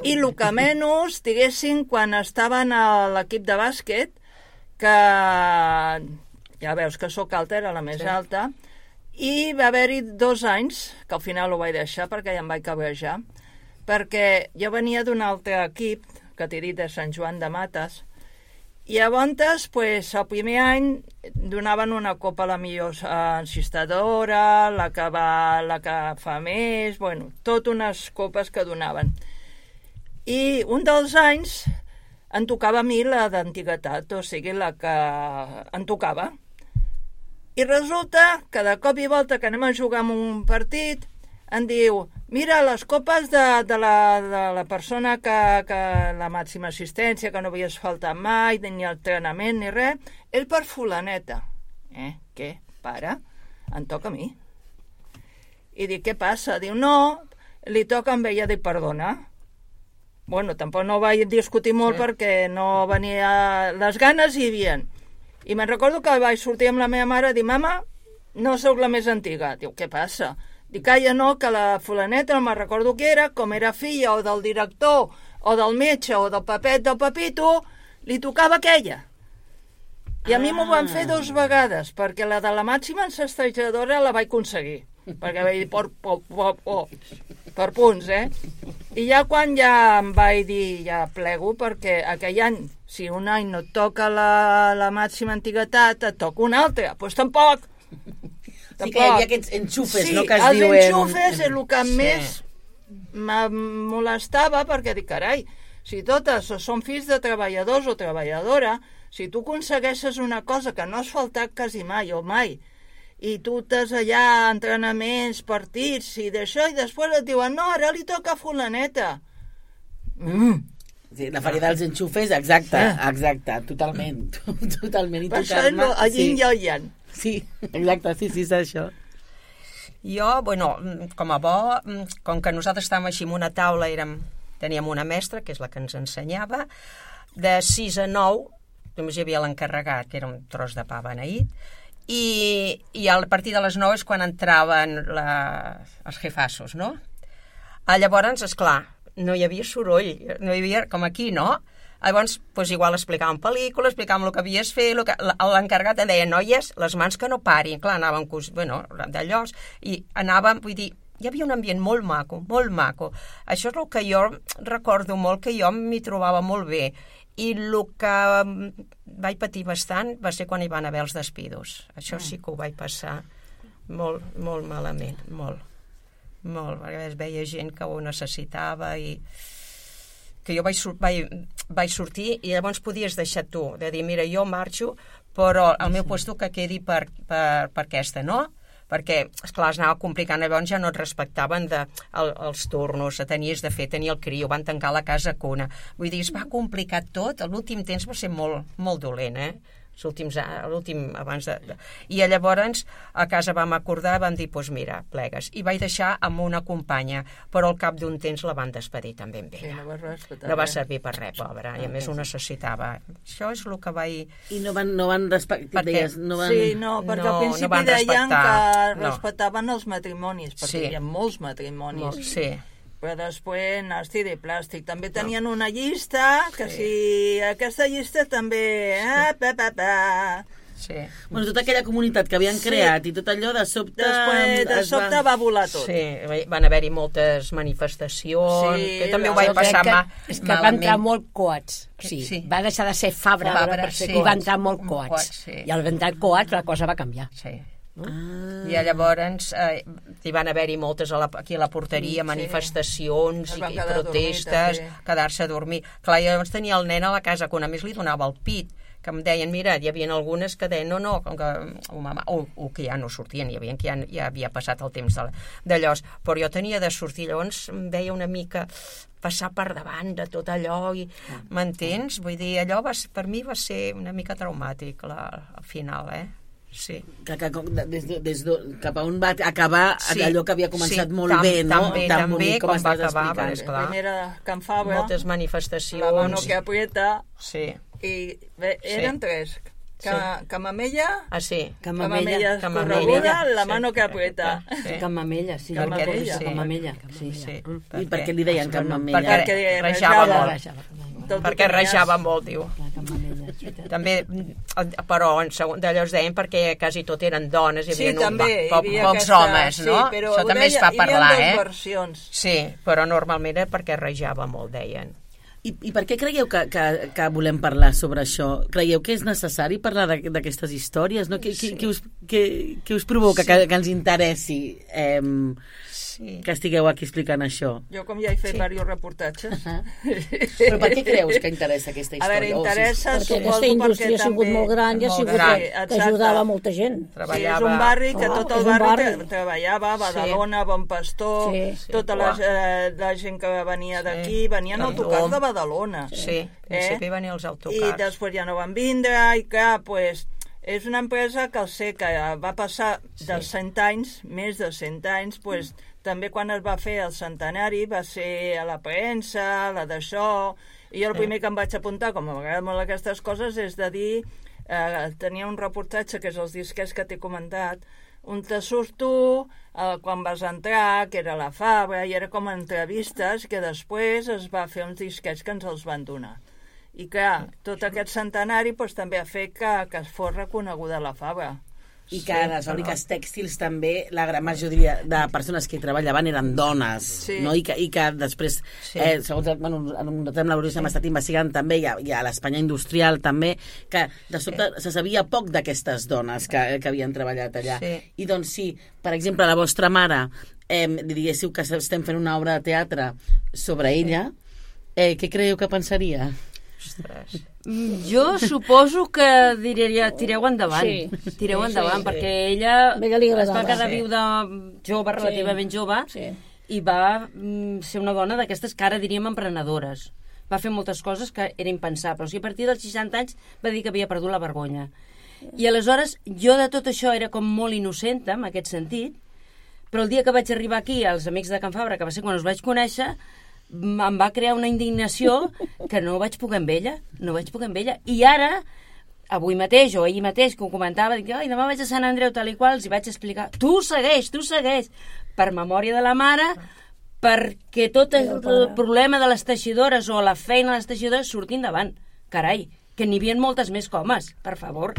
I el que menys, diguéssim, quan estaven a l'equip de bàsquet, que ja veus que sóc alta, era la més alta, i va haver-hi 2 anys, que al final ho vaig deixar perquè ja em vaig cabrejar, perquè jo venia d'un altre equip, que t'he dit de Sant Joan de Mates, i llavors, pues, el primer any donaven una copa a la millor encistadora, la que fa més, bueno, tot unes copes que donaven. I un dels anys em tocava a mi la d'antiguitat, o sigui, la que em tocava. I resulta que de cop i volta que anem a jugar en un partit, em diu, mira, les copes de la persona que la màxima assistència, que no havies faltat mai, ni entrenament, ni res, és per fulaneta. Què? Pare, em toca a mi. I dic, què passa? Diu, no, li toca amb ella. Dic, perdona. Bueno, tampoc no vaig discutir molt perquè no venia... Les ganes hi havia. I me'n recordo que vaig sortir amb la meva mare i dir, mama, no sóc la més antiga. Diu, què passa? Dic, calla, no, que la fulaneta, no me'n recordo què era, com era filla o del director o del metge o del papet del papito, li tocava aquella. I a mi m'ho van fer 2 vegades, perquè la de la màxima encestrejadora la vaig aconseguir. Perquè vaig dir, per punts, I ja quan ja em vaig dir, ja plego, perquè aquell any, si un any no et toca la màxima antiguitat, et toca un altre. Doncs tampoc. Sí que hi havia aquests enxufes, sí, no?, que es diuen... Sí, els enxufes és el que més em molestava, perquè dic, carai, si totes són fills de treballadors o treballadora, si tu aconsegueixes una cosa que no has faltat quasi mai o mai, i tu estàs allà, entrenaments, partits, i d'això, i després et diuen, no, ara li toca a fulaneta. Sí, la feria dels enxufes, exacte, totalment. Totalment. Per això a yin i al yang. Sí, exacte, sí, és això. Jo, bueno, com a bo, com que nosaltres estàvem així en una taula, teníem una mestra, que és la que ens ensenyava, de 6 a 9, només hi havia l'encarregat, que era un tros de pa beneït, i a partir de les 9 és quan entraven els jefassos, no? Llavors, esclar, no hi havia soroll, no hi havia, com aquí, no? Llavors, doncs igual explicàvem pel·lícules, explicàvem el que havies fet, l'encarregat em deia, noies, les mans que no parin, clar, anàvem, d'allò, i anàvem, vull dir, hi havia un ambient molt maco, molt maco. Això és el que jo recordo molt, que jo m'hi trobava molt bé, i el que vaig patir bastant va ser quan hi van haver els despidos. Això sí que ho vaig passar molt, molt malament, molt, perquè es veia gent que ho necessitava i que jo vaig sortir i llavors podies deixar tu, de dir, mira, jo marxo, però el meu puesto que quedi per aquesta, no? Perquè, esclar, es anava complicant, llavors ja no et respectaven els turnos, tenies de fer, tenir el criu, van tancar la casa cuna. Vull dir, es va complicar tot, l'últim temps va ser molt, molt dolent, l'últim abans de... I llavors a casa vam acordar, vam dir, doncs mira, plegues. I vaig deixar amb una companya, però al cap d'un temps la van despedir també amb ella. No va servir per res, pobra, i a més ho necessitava. Això és el que vaig... I no van respectar... Sí, no, perquè al principi deien que respectaven els matrimonis, perquè hi havia molts matrimonis. Sí. Però després nasti de plàstic. També tenien una llista, que si aquesta llista també... Sí. Bueno, tota aquella comunitat que havien creat i tot allò, de sobte... Després, de sobte va volar tot. Sí, van haver-hi moltes manifestacions, que també ho vaig passar malament. És que va entrar molt coats. Sí. Va deixar de ser Fabra i va entrar molt coats. I al entrar coats la cosa va canviar. Sí. I llavors hi van haver-hi moltes aquí a la porteria, manifestacions i protestes, quedar-se a dormir. Clar, llavors tenia el nen a la casa, que a més li donava el pit, que em deien, mira, hi havia algunes que deien, no, com que o que ja no sortien, hi havia que ja havia passat el temps d'allò, però jo tenia de sortir, llavors em veia una mica passar per davant de tot allò, i m'entens? Vull dir, allò per mi va ser una mica traumàtic al final, Sí. Cap a on va acabar allò que havia començat molt bé, no? Tan bonic com va acabar, la primera Can Fabra, moltes manifestacions, la mano que aprieta, i eren 3, Camamella, Camamella escorreguda, la mano que aprieta. Camamella, sí. Camamella. I per què li deien Camamella? Perquè rejava molt. Perquè rejava molt, diu. També, però d'allò es deien perquè quasi tot eren dones, hi havia pocs homes, no? Això també es fa parlar, Hi havia 2 versions. Sí, però normalment era perquè rejava molt, deien. I per què creieu que volem parlar sobre això? Creieu que és necessari parlar d'aquestes històries? No? Què us provoca que ens interessi? que estigueu aquí explicant això. Jo, com ja he fet diversos reportatges... Però per què creus que interessa aquesta història? A veure, interessa, Perquè suposo, aquesta indústria ha sigut molt gran i ha sigut que ajudava molta gent. Sí, és un barri que tot el barri treballava, Badalona, Bon Pastor, tota la gent que venia d'aquí, venien autocars de Badalona. Sí, al principi venien els autocars. I després ja no van vindre, i clar, doncs, és una empresa que que va passar dels 100 anys, més de 100 anys, doncs, també quan es va fer el centenari va ser a la premsa, la d'això, i jo el primer que em vaig apuntar, com m'agraden molt aquestes coses, és de dir, tenia un reportatge, que és els disquets que t'he comentat, on te surto quan vas entrar, que era la Fabra, i era com entrevistes, que després es va fer uns disquets que ens els van donar. I clar, tot aquest centenari doncs, també ha fet que es fos reconeguda la Fabra. I que a les fàbriques tèxtils també la gran majoria de persones que hi treballaven eren dones, no? I que després, segons nosaltres amb la Bruixa hem estat investigant també, i a l'Espanya industrial també, que de sobte se sabia poc d'aquestes dones que havien treballat allà. I doncs sí, per exemple, la vostra mare, diguéssiu que estem fent una obra de teatre sobre ella, què creieu que pensaria? Jo suposo que diria tireu endavant, perquè ella es va quedar viuda jove, relativament jove, i va ser una dona d'aquestes que ara diríem emprenedores. Va fer moltes coses que era impensable. O sigui, a partir dels 60 anys va dir que havia perdut la vergonya. I aleshores jo de tot això era com molt innocenta en aquest sentit, però el dia que vaig arribar aquí, als Amics de Can Fabra, que va ser quan us vaig conèixer, em va crear una indignació que no vaig poder amb ella. I ara, avui mateix o ahir mateix, que ho comentava, dic, demà vaig a Sant Andreu, tal i qual, els hi vaig explicar, tu segueix, per memòria de la mare, perquè tot el problema de les teixidores o la feina de les teixidores surti endavant. Carai, que n'hi havia moltes més comes, per favor.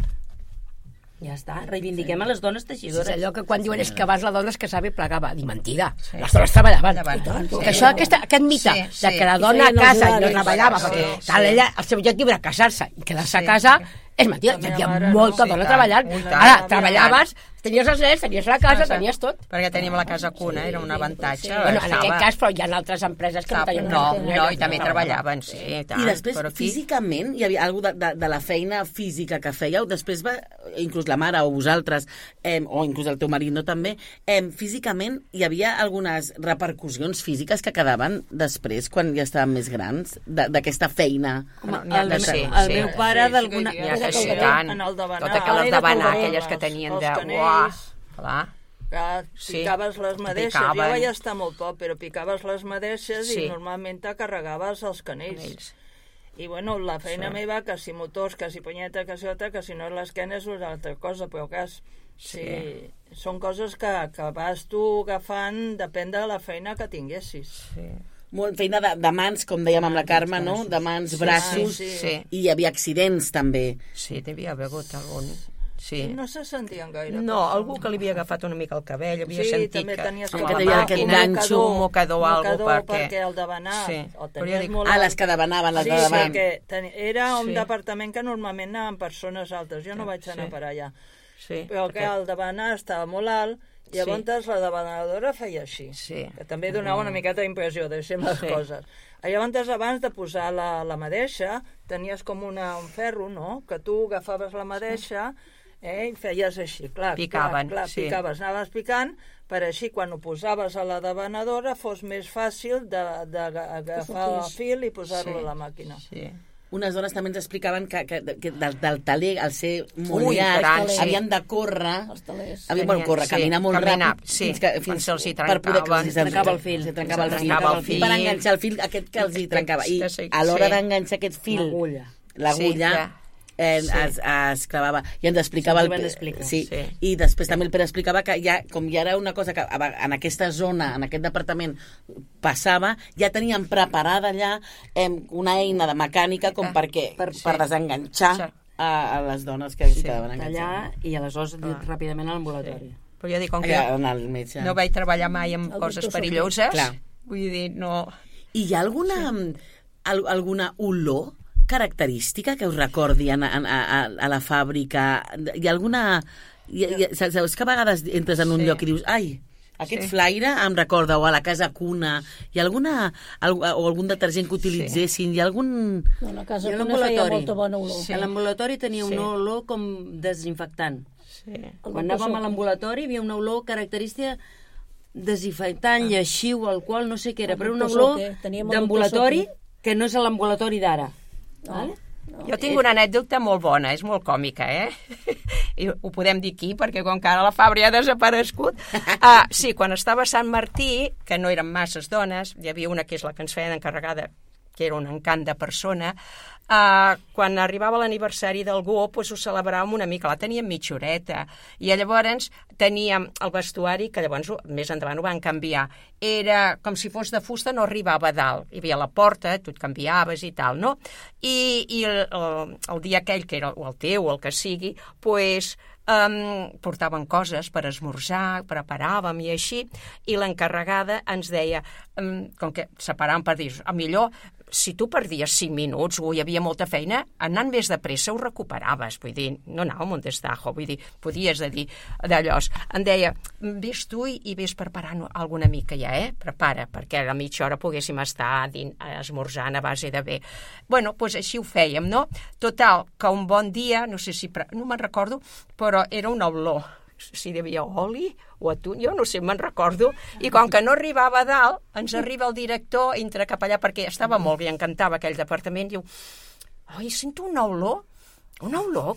Ja està, reivindiquem a les dones teixidores. És allò que quan diuen és que abans la dona es casava i plegava. Dic, mentida, les dones treballaven. Que això, aquest mite de que la dona a casa i no treballava, perquè ella, el seu objectiu era casar-se i quedar-se a casa, és mentida, hi havia molta dona treballant. Ara, treballaves, tenies els nens, tenies la casa, tenies tot. Perquè teníem la casa cuna, era un avantatge. Bueno, en aquest cas, però hi ha altres empreses que no tenien... No, i també treballaven, sí. I després, físicament, hi havia alguna de la feina física que fèieu, després va, inclús la mare o vosaltres, o inclús el teu marit, no també, físicament hi havia algunes repercussions físiques que quedaven després, quan ja estàvem més grans, d'aquesta feina. El meu pare d'alguna... Totes aquelles de banar, aquelles que tenien de... Clar, picaves les madeixes. Jo vaig estar molt poc, però picaves les madeixes i normalment te carregaves els canells. I bueno, la feina meva, que si motors, que si punyeta, que si altra, que si no l'esquena és una altra cosa, però que són coses que vas tu agafant, depèn de la feina que tinguessis. Molt feina de mans, com dèiem amb la Carme, no? De mans, braços, i hi havia accidents també. Sí, n'havia hagut algun. No se sentien gaire. No, algú que li havia agafat una mica el cabell, havia sentit que tenies aquest ganxo, un mocador o alguna cosa, perquè el de banar les que debanaven, les de davant. Era un departament que normalment anaven persones altes, jo no vaig anar per allà, però que el de banar estava molt alt. I llavors la debanadora feia així, que també donava una miqueta d'impressió, deixem les coses. Llavors, abans de posar la madeixa, tenies com un ferro, no?, que tu agafaves la madeixa i feies així, picaves, anaves picant, per així, quan ho posaves a la debanadora, fos més fàcil d'agafar el fil i posar-lo a la màquina. Unes dones també ens explicaven que del taler, al ser molt llarg, havien de córrer, caminar molt ràpid, fins per poder que els trencava el fil. Per enganxar el fil aquest que els hi trencava. I a l'hora d'enganxar aquest fil, l'agulla, es clavava. I ens explicava i després també el Pere explicava que com ja era una cosa que en aquesta zona, en aquest departament passava, ja tenien preparada allà una eina de mecànica com per desenganxar a les dones que quedaven enganxades. Tallar i aleshores ràpidament a l'ambulatori. Però jo dic, com que no vaig treballar mai amb coses perilloses, vull dir, no... I hi ha alguna olor característica que us recordi a la fàbrica? Hi ha alguna... Saps que a vegades entres en un lloc i dius, ai, Aquest flaire em recorda, o a la casa cuna, hi ha algun detergent que utilitzessin, hi ha algun... No, la casa I a cuna feia l'ambulatori? molta bona olor. A l'ambulatori tenia una olor com desinfectant. Sí. Quan anàvem a l'ambulatori hi havia una olor característica desinfectant, lleixiu, alcohol, no sé què era, però una olor d'ambulatori que no és l'ambulatori d'ara. Vale? Jo tinc una anècdota molt bona, és molt còmica, I ho podem dir aquí, perquè com que ara la Fabra ja ha desaparegut. Sí, quan estava a Sant Martí, que no eren masses dones, hi havia una que és la que ens feia d'encarregada, que era un encant de persona, quan arribava l'aniversari d'algú, doncs ho celebràvem una mica, la teníem mitja horeta, i llavors teníem el vestuari, que llavors més endavant ho van canviar, era com si fos de fusta, no arribava a dalt, hi havia la porta, tu et canviaves i tal, no? I el dia aquell, que era o el teu o el que sigui, doncs portaven coses per esmorzar, preparàvem i així, i l'encarregada ens deia, com que separàvem per dir, millor, si tu perdies 5 minuts o hi havia molta feina, anant més de pressa ho recuperaves, vull dir, no anàvem un destajo, vull dir, podies dir d'allò. Em deia, vés tu i vés preparant alguna mica ja, prepara, perquè a la mitja hora poguéssim estar esmorzant a base de bé. Bueno, doncs així ho fèiem, no? Total, que un bon dia, no sé si, no me'n recordo, però era una olor, si hi havia oli o atún, jo no sé, me'n recordo, i com que no arribava a dalt, ens arriba el director, entra cap allà, perquè estava molt bé, encantava aquell departament, diu, oi, sento una olor,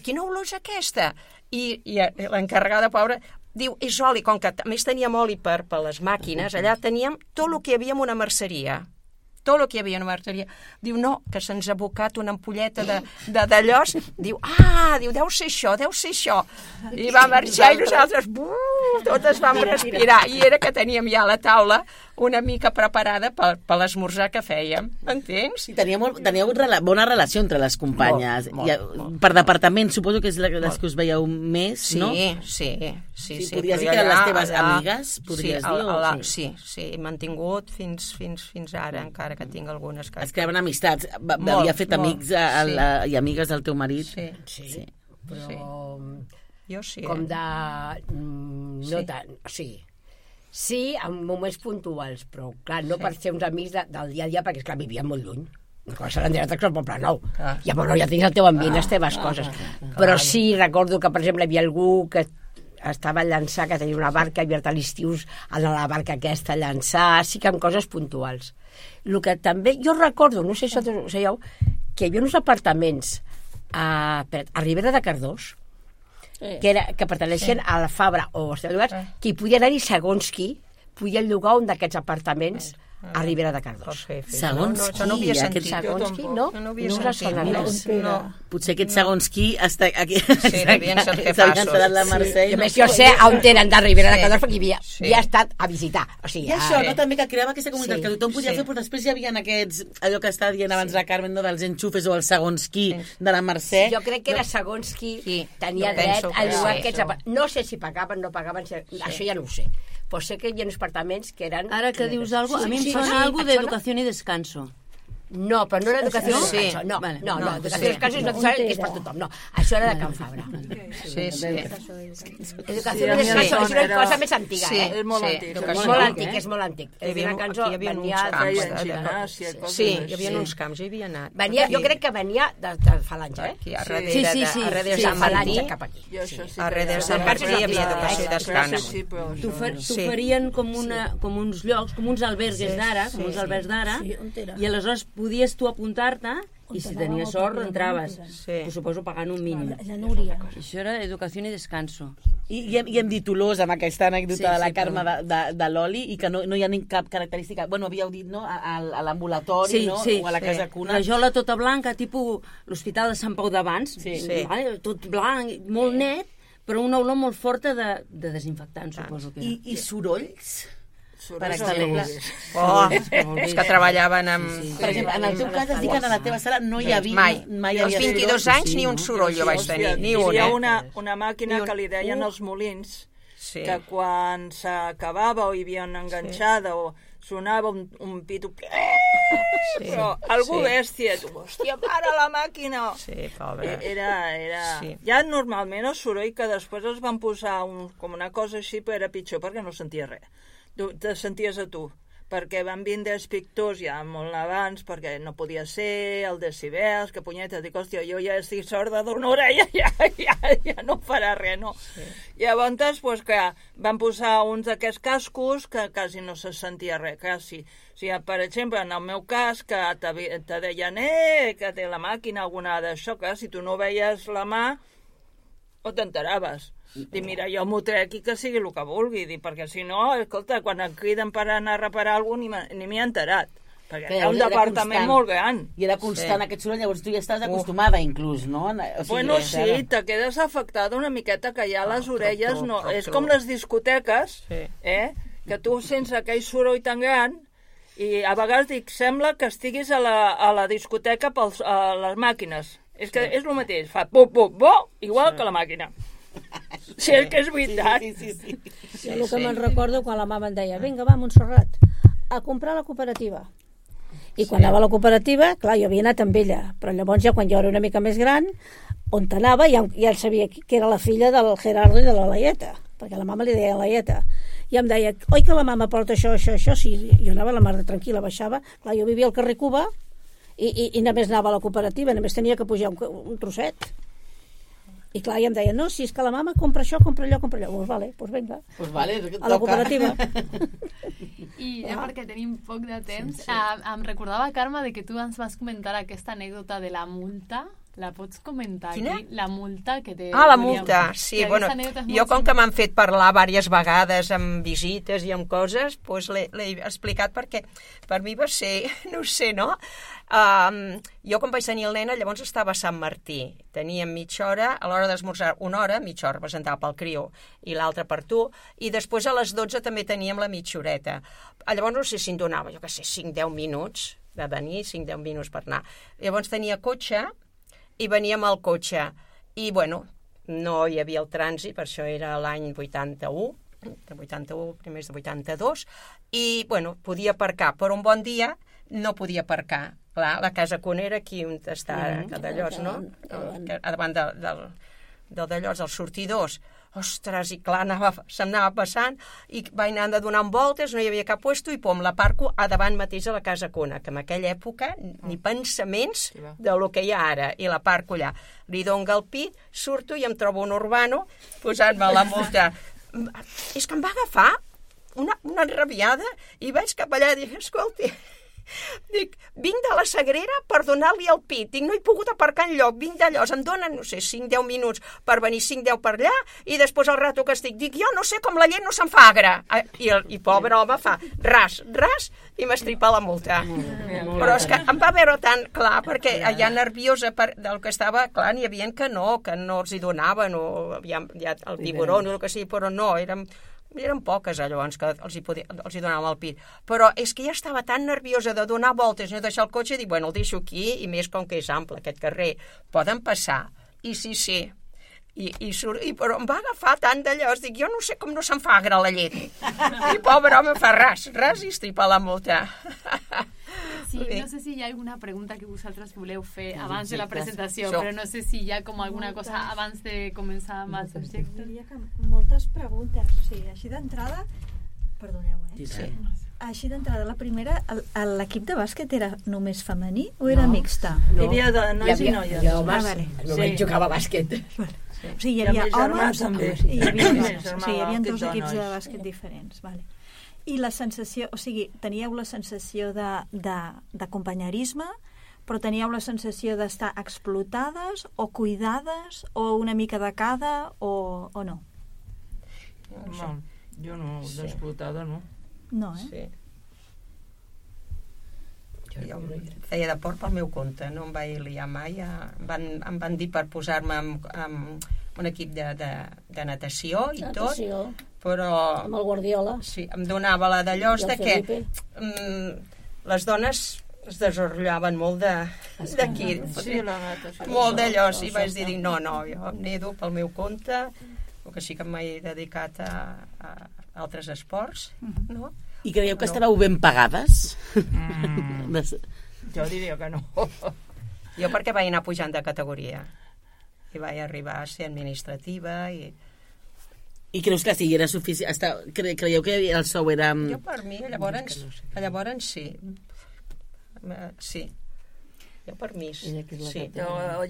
quina olor és aquesta? I l'encarregada, pobra, diu, és oli, com que a més teníem oli per les màquines, allà teníem tot el que hi havia en una merceria, diu, no, que se'ns ha abocat una ampolleta d'allòs, diu, deu ser això, i va marxar i nosaltres, totes vam respirar, i era que teníem ja a la taula una mica preparada per l'esmorzar que fèiem, entens? I teníeu bona relació entre les companyes, molt. Per departament, suposo que és les que us veieu més, no? Sí. Podries dir que eren les teves amigues, podries dir? Sí, he mantingut fins ara, encara que tinc algunes que... Es creaven amistats. Havia fet amics i amigues del teu marit? Sí. Però... Jo sí. Com de... No tant, sí, en moments puntuals, però clar, no per ser uns amics del dia a dia, perquè esclar, vivien molt lluny. Quan se l'han al Poble Nou. Llavors ja tens el teu ambient, les teves coses. Però sí, recordo que, per exemple, hi havia algú que estava a llançar, que tenia una barca, havia a l'estiu a la barca aquesta a llançar, sí que amb coses puntuals. El que també, jo recordo, no sé si ho sabeu, que hi havia uns apartaments a Ribera de Cardós, que perteneixien a la Fabra o als llogats, que hi podia anar-hi segons qui podia llogar un d'aquests apartaments a Ribera de Cardós. Segons qui? No havia sentit. Segons qui, no? No us sona res. Potser aquest segons qui està aquí. Sí, devien ser jefassos. La Mercè. A més, jo sé on tenen de Ribera de Cardós perquè havia estat a visitar. I això, no? També que creava aquesta comunitat que tothom podia fer, però després hi havia aquests, allò que estava dient abans la Carmen, dels enxufes o el segons qui de la Mercè. Jo crec que era segons qui tenia dret a llogar aquests... No sé si pagaven, no pagaven, això ja no ho sé. Però sé que hi ha uns apartaments que eren... Ara que dius alguna cosa, a mi em sona algo d'educació i descanso. No, però no era educació i descanso. No, educació i descanso és necessari, que és per tothom. No, això era de Can Fabra. Sí. Educació i descanso és una cosa més antiga, Sí, és molt antic. És molt antic. Hi havia uns camps, hi havia anat. Jo crec que venia de Falange, Aquí, a darrere de Sant Martí. A darrere de Sant Martí hi havia educació i descanso. T'ho farien com uns llocs, com uns albergues d'ara, i aleshores podies tu apuntar-te i si tenies sort entraves, suposo pagant un mínim. La Núria. Això era educació i descanso. I hem dit olors amb aquesta anècdota de la Carme de l'oli i que no hi ha cap característica, bueno, havíeu dit, no?, a l'ambulatori, no?, o a la casa cuna. Rajola tota blanca, tipus l'Hospital de Sant Pau d'abans, tot blanc, molt net, però una olor molt forta de desinfectant, suposo que era. I sorolls? Per exemple, és que treballaven amb... Per exemple, en el teu cas has dit que a la teva sala no hi havia... Mai. Als 22 anys ni un soroll jo vaig tenir, ni un. Hi havia una màquina que li deien els molins, que quan s'acabava o hi havia una enganxada o sonava un pito... Però algú bèstia, tu, hòstia, para la màquina! Sí, pobre. Era... Sí. Ja normalment el soroll que després es van posar com una cosa així, però era pitjor perquè no sentia res. Tu te senties a tu, perquè van vindre els pictors ja molt abans, perquè no podia ser, el decibels, que punyeta, dic, hòstia, jo ja estic sorda d'una orella, ja no farà res, no? Sí. Llavors, pues, que van posar uns d'aquests cascos que quasi no se sentia res, quasi. O sigui, per exemple, en el meu cas, que te deien, que té la màquina, alguna d'això, que si tu no veies la mà, o t'enteraves. Dic, mira, jo m'ho trec i que sigui el que vulgui, dic, perquè si no, escolta, quan em criden per anar a reparar alguna cosa, ni m'hi he enterat, perquè hi ha un departament molt gran. I era constant aquest soroll, llavors tu ja estàs acostumada, inclús, no? O sigui, Bueno, sí, te quedes afectada una miqueta, que ja les orelles no... És com les discoteques, que tu sents aquell soroll tan gran i a vegades dic, sembla que estiguis a la discoteca a les màquines. És que és el mateix, fa bo, igual que la màquina. Sí, és que és veritat. Sí. Jo el que me'n recordo quan la mama em deia, vinga, va, Montserrat, a comprar a la cooperativa. I quan anava a la cooperativa, clar, jo havia anat amb ella, però llavors ja quan jo era una mica més gran, on anava ja sabia que era la filla del Gerardo i de la Laieta, perquè la mama li deia Laieta. I em deia, oi que la mama porta això, sí, jo anava a la mar de tranquil·la, baixava, clar, jo vivia al carrer Cuba i només anava a la cooperativa, només tenia que pujar un trosset. I clar, i em deia, no, si és que la mama compra això, compra allò. Doncs vale, doncs vinga. Pues vale, a la cooperativa. I ja perquè tenim poc de temps, em recordava, Carme, de que tu ens vas comentar aquesta anècdota de la multa. La pots comentar aquí? Quina? La multa que té... Ah, la multa, sí. Bueno, jo com que m'han fet parlar diverses vegades amb visites i amb coses, doncs l'he explicat perquè per mi va ser, no sé, no? Jo quan vaig tenir el nen, llavors estava a Sant Martí. Teníem mitja hora, a l'hora d'esmorzar una hora, mitja hora presentava pel crió i l'altra per tu, i després a les 12 també teníem la mitja horeta. Llavors no sé si em donava, jo què sé, 5-10 minuts de venir, 5-10 minuts per anar. Llavors tenia cotxe, i veníem al cotxe, i bueno, no hi havia el trànsit, per això era l'any 81, primers de 82, i bueno, podia aparcar, però un bon dia no podia aparcar. Clar, la casa Cuna era aquí on està a Dallós, no? Davant del Dallós, dels sortidors. Ostres, i clar, se'm anava passant i vaig anar de donar voltes, no hi havia cap puesto i pom, la parco a davant mateix de la casa Cuna, que en aquella època ni pensaments de lo que hi ha ara, i la parco allà. Li dono el pit, surto i em trobo un urbano posant-me la multa. És que em va agafar una enrabiada i vaig cap allà i dic, escolti, dic, vinc de la Sagrera per donar-li el pit. Dic, no he pogut aparcar enlloc, vinc d'allò. Em donen, no sé, 5-10 minuts per venir, 5-10 per allà, i després el rato que estic, dic, jo no sé com la llet no se'n fa agra. I pobre home fa ras, i m'estripa la multa. Però és que em va veure tan clar, perquè ja nerviosa del que estava, clar, n'hi havia que no els hi donaven, o ja el tiburó, o el que sigui, però no, eren poques llavors que els hi donàvem el pit, però és que ja estava tan nerviosa de donar voltes i no deixar el cotxe i dic, bueno, el deixo aquí, i més com que és ample aquest carrer, poden passar, i sí, però em va agafar tant d'allò, dic, jo no sé com no se'n fa agra la llet, i pobre home fa ras i estripa la multa. Sí, no sé si hi ha alguna pregunta que vosaltres voleu fer abans de la presentació, però no sé si hi ha com alguna cosa abans de començar amb el subjecte. Diria que moltes preguntes, o sigui, així d'entrada, perdoneu, Sí. Així d'entrada, la primera, l'equip de bàsquet era només femení o era mixta? Hi havia de nois i noies. Hi havia homes, el meu marit jugava a bàsquet. O sigui, hi havia homes i hi havia dos equips de bàsquet diferents, vale. I la sensació, o sigui, teníeu la sensació de companyerisme, però teníeu la sensació d'estar explotades o cuidades o una mica de cada o no? No, jo no, d'explotada no. No, Sí. Jo feia de port pel meu compte, no em vaig liar mai. Em van dir per posar-me amb un equip de natació i tot, però... Amb el Guardiola. Sí, em donava la d'allò que les dones es desenrotllaven molt d'aquí. Sí, la natació. Molt d'allò, i vaig dir, no, jo em nedo pel meu compte, el que sí que m'he dedicat a altres esports, no? I creieu que estàveu ben pagades? Jo diria que no. Jo perquè vaig anar pujant de categoria i vaig arribar a ser administrativa i creus que sí, era suficient? Creieu que el sou era... Jo per mi, llavors sí. Sí. Jo per mi, sí.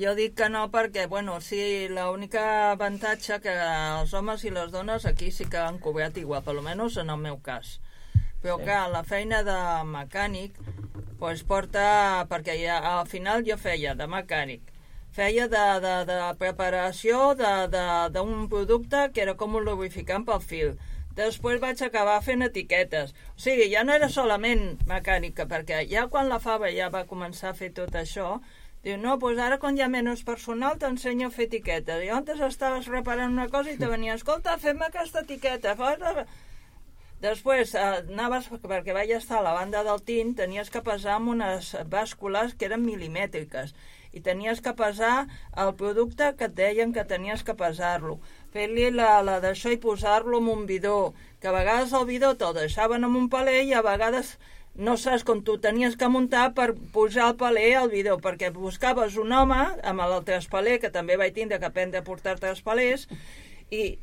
Jo dic que no perquè, bueno, sí, l'única avantatge que els homes i les dones aquí sí que han cobrat igual, per almenys en el meu cas. Però que la feina de mecànic pues porta, perquè al final jo feia de mecànic, feia de preparació d'un producte que era com un lubrificant pel fil. Després vaig acabar fent etiquetes. O sigui, ja no era solament mecànica, perquè ja quan la Fava ja va començar a fer tot això, diu, no, doncs ara quan hi ha menys personal t'ensenyo a fer etiquetes. I antes estaves reparant una cosa i te venia, escolta, fem aquesta etiqueta. Després anaves, perquè vaig estar a la banda del tint, tenies que pesar amb unes bàscules que eren milimètriques i tenies que pesar el producte que et deien que tenies que pesar-lo, fer-li la d'això i posar-lo en un bidó, que a vegades el bidó te'l deixaven en un paler i a vegades no saps com tu tenies que muntar per pujar el paler al bidó, perquè buscaves un home amb el traspaler, que també vaig tindre que aprendre a portar traspalers, i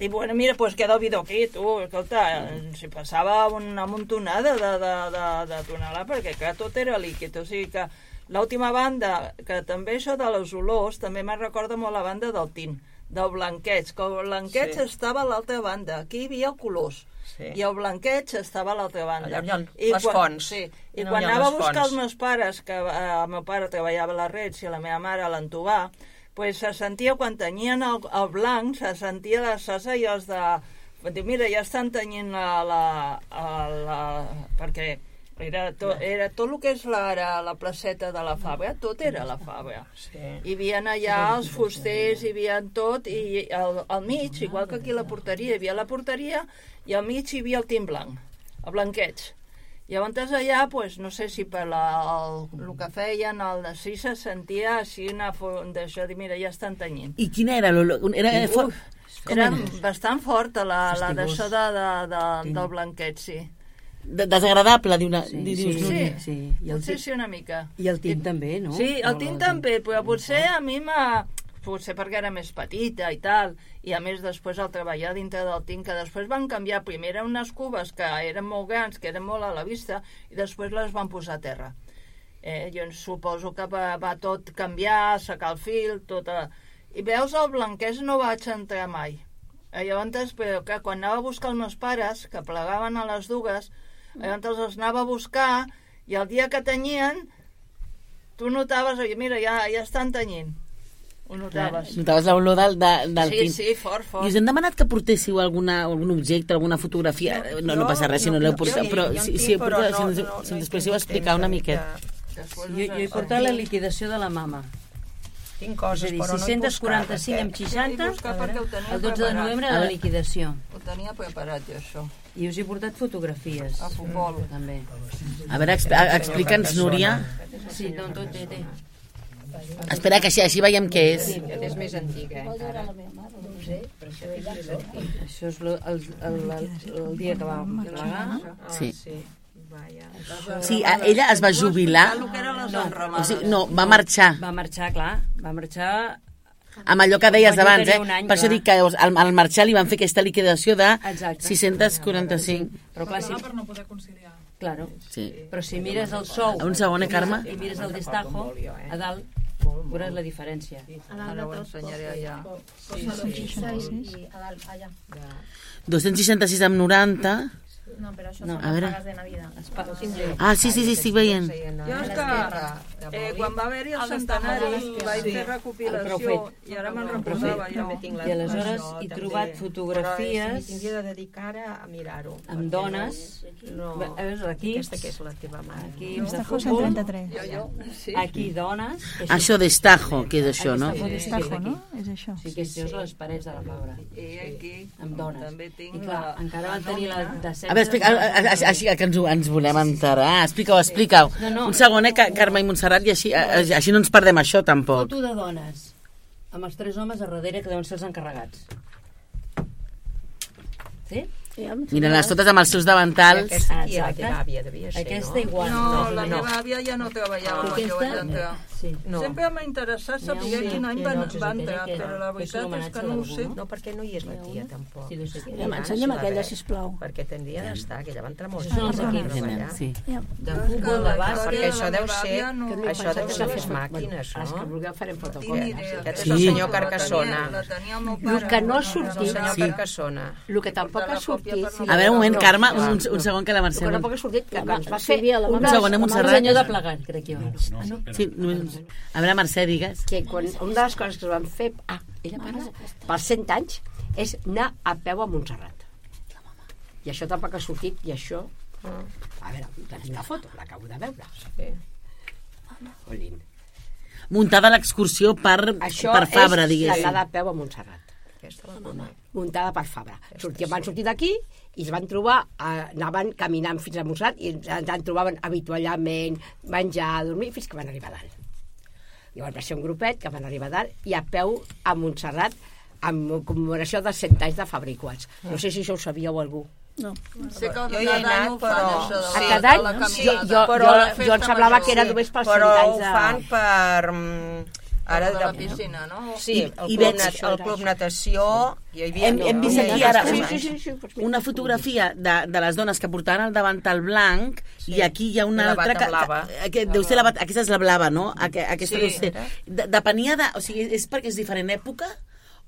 bueno, mira, pues queda el bidó aquí, tu, escolta, si passava una montonada de tonelada, perquè clar, tot era líquid, o sigui que l'última banda, que també això de les olors, també me'n recorda molt la banda del tint, del blanqueig, que el blanqueig estava a l'altra banda, aquí hi havia colors, i el blanqueig estava a l'altra banda. Allà les fonts. Sí, i quan anava a buscar els meus pares, que el meu pare treballava a la Reds i la meva mare a l'Antovar, pues se sentia, quan tenyien el blanc, se sentia les sasaies de... Diu, mira, ja estan tenyint perquè era tot el que és la placeta de la Fabra, tot era la Fabra. Sí. Hi havia allà els fusters, hi havia tot, i al mig, igual que aquí a la porteria, hi havia la porteria, i al mig hi havia el tint blanc, el blanqueig. I llavors allà, pues, no sé si per el que feien, sí se sentia així d'això, dir, mira, ja estan tenyint. I quina era l'olor? Era bastant forta d'això del blanqueig, sí. Desagradable, sí, potser sí una mica. I el tint també, no? Sí, el tint també, però potser a mi potser perquè era més petita i tal, i a més després al treballar dintre del tint, que després van canviar, primer eren unes cubes que eren molt grans, que eren molt a la vista, i després les van posar a terra. Jo suposo que va tot canviar, secar el fil, tot... I veus, el blanquès no vaig entrar mai. Llavors, però que quan anava a buscar els meus pares, que plegaven a les dues, llavors els anava a buscar, i el dia que tenyien, tu notaves, mira, ja estan tenyint. Ho notaves. Notaves l'olor del tint. Sí, fort. I us hem demanat que portéssiu algun objecte, alguna fotografia. No passa res si no l'heu portat, però si ens després explicar una miqueta. Jo he portat la liquidació de la mama. Tinc coses, és a dir, 645 amb 60, el 12 de novembre de la liquidació. Ho tenia preparat jo, això. I us he portat fotografies. A futbol. També. A veure, explica'ns, Núria. Sí, no, tot té. Espera, que així veiem què és. Sí, és més antiga, encara. Això és el dia que va plegar. Sí. Sí, ella es va jubilar. No, va marxar. Va marxar, clar. Va marxar... Amb allò que deies abans, per això dic que al marxar li van fer aquesta liquidació de 645. Però clar, per no poder conciliar. Claro. Sí. Però si mires el sou... Un segon, Carme? I mires el destajo, a dalt, veuràs la diferència. Ara ho ensenyaré allà. Sí. A dalt, allà. 266 amb 90... No, però això no, són les pagues de Navidad. Sí, estic veient. Jo és que quan va haver-hi el centenari vaig fer recopilació i ara me'n reposava jo. I aleshores he trobat fotografies de dedicar a mirar-ho. Amb dones. Aquí, aquesta que és la teva mare. Aquí, Destajo 133. Aquí dones. Això d'Estajo, que és això, no? Destajo, no? És això. Sí, que això són les parets de la Fabra. I aquí amb dones. també tinc I clar, encara van tenir la de 16. A veure, així que ens volem enterar. Explica-ho. No. Un segon, Carme i Montserrat, i així no ens perdem això, tampoc. Foto de dones, amb els 3 homes a darrere que deuen ser els encarregats. Sí? Mira-les totes amb els seus davantals. Aquesta aquí era la teva àvia, devia ser, Aquesta igual. No, la meva àvia ja no treballava quan jo vaig entrar. Sempre m'ha interessat saber quin any va entrar, però la veritat és que no ho sé. No, perquè no hi és la tia, tampoc. M'ensenya'm aquella, sisplau. Perquè tindria d'estar, que ella va entrar molts Són els anys a equips, treballar. Sí. De futbol, de bàsquet... Perquè això deu ser les màquines, Els que no? vulgueu farem fotocòpies. Aquest és el senyor Carcassona. El que no ha sortit... El senyor Sí. Carcassona. El que tampoc ha sortit... A veure, un moment, Carme, un segon que la Mercè... El que tampoc ha sortit, que ens va fer... Un segon, Montserrat. senyor de plegar, crec jo. Sí, només... A veure, Mercè, digues. Que quan una de les coses que es van fer... ella para pels 100 anys és anar a peu a Montserrat. I això tampoc ha sortit, i això... A veure, tenim la foto, l'acabo de veure. Olín. Muntada l'excursió per Fabra, Això és diguéssim. l'anada a peu a Montserrat. Muntada per Fabra. Van sortir d'aquí i es van trobar, anaven caminant fins a Montserrat i ens en trobaven avituallament, menjar, dormir, fins que van arribar a dalt. Llavors va ser un grupet que van arribar a dalt i a peu a Montserrat amb commemoració dels 100 anys de Fabricats. No sé si això ho sabíeu algú. No. Sé que Jo hi he anat, però... A cada any jo em semblava que era només pels 100 Però anys ho de... fan per... Ara de la piscina, no? Sí, el club natació... Hem vist aquí ara Sí. una fotografia de les dones que portaven el davantal blanc i aquí hi ha una la altra bata blava. que deu ser aquesta és la blava, no? Aquesta deu ser. Depenia de... O sigui, és perquè és diferent època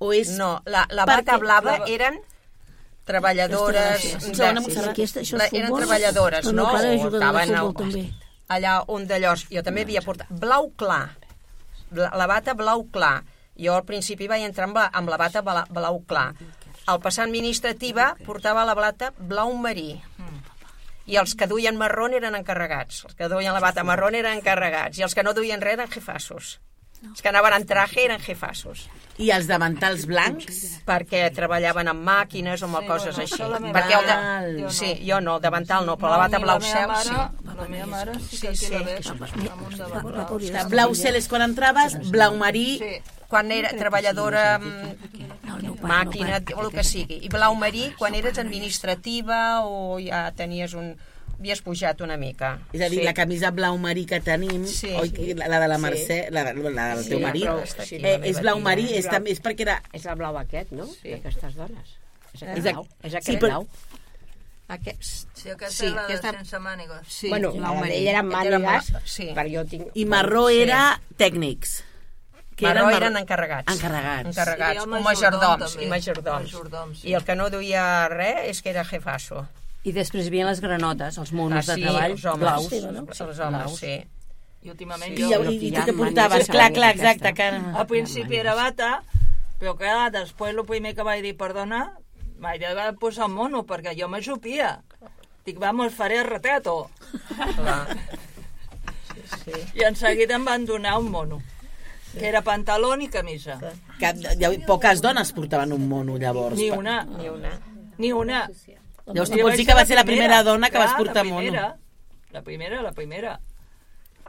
o és... No, la bata blava eren treballadores... Eren treballadores, no? El meu pare O juga de estaven futbol, també. allà un d'allòs. Jo també havia portat blau clar, la bata blau clar. Jo al principi vaig entrar amb la bata blau clar. Al passar administrativa portava la bata blau marí. I els que duien marró eren encarregats. Els que duien la bata marró eren encarregats. I els que no duien res eren jefassos. Els que anaven en traje eren jefassos. I els davantals blancs? Perquè treballaven amb màquines o amb coses així. Perquè sí, jo no, el davantal no, però la bata blau cel sí. La meva mare sí que la veig. Blau cel és quan entraves, blau marí... Quan era treballadora, màquina, o el que sigui. I blau marí, quan eres administrativa o ja tenies havies pujat una mica. És a dir, la camisa blau marí que tenim, la de la Mercè, la del teu marit, és blau marí, és perquè era... És el blau aquest, no? D'aquestes dones. És aquest però- blau. Sí, aquesta és la de sense mànigues. Bueno, ell era mànigues, sí. però jo tinc... I marró era tècnics. Marró eren encarregats. Encarregats. O majordoms. I el que no duia res és que era jefasso. I després havien les granotes, els monos de treball els homes, blaus. Els homes, sí. I últimament I tu què portaves? Clar, exacte. Al principi era bata, però clar, després el primer que vaig dir, perdona, vaig dir de posar un mono, perquè jo m'ajupia. Dic, vamos, faré el retrato. I en seguida em van donar un mono, que era pantaló i camisa. Poques dones portaven un mono, llavors. Ni una. Llavors tu pots dir que va ser la primera dona que vas portar mono. La primera.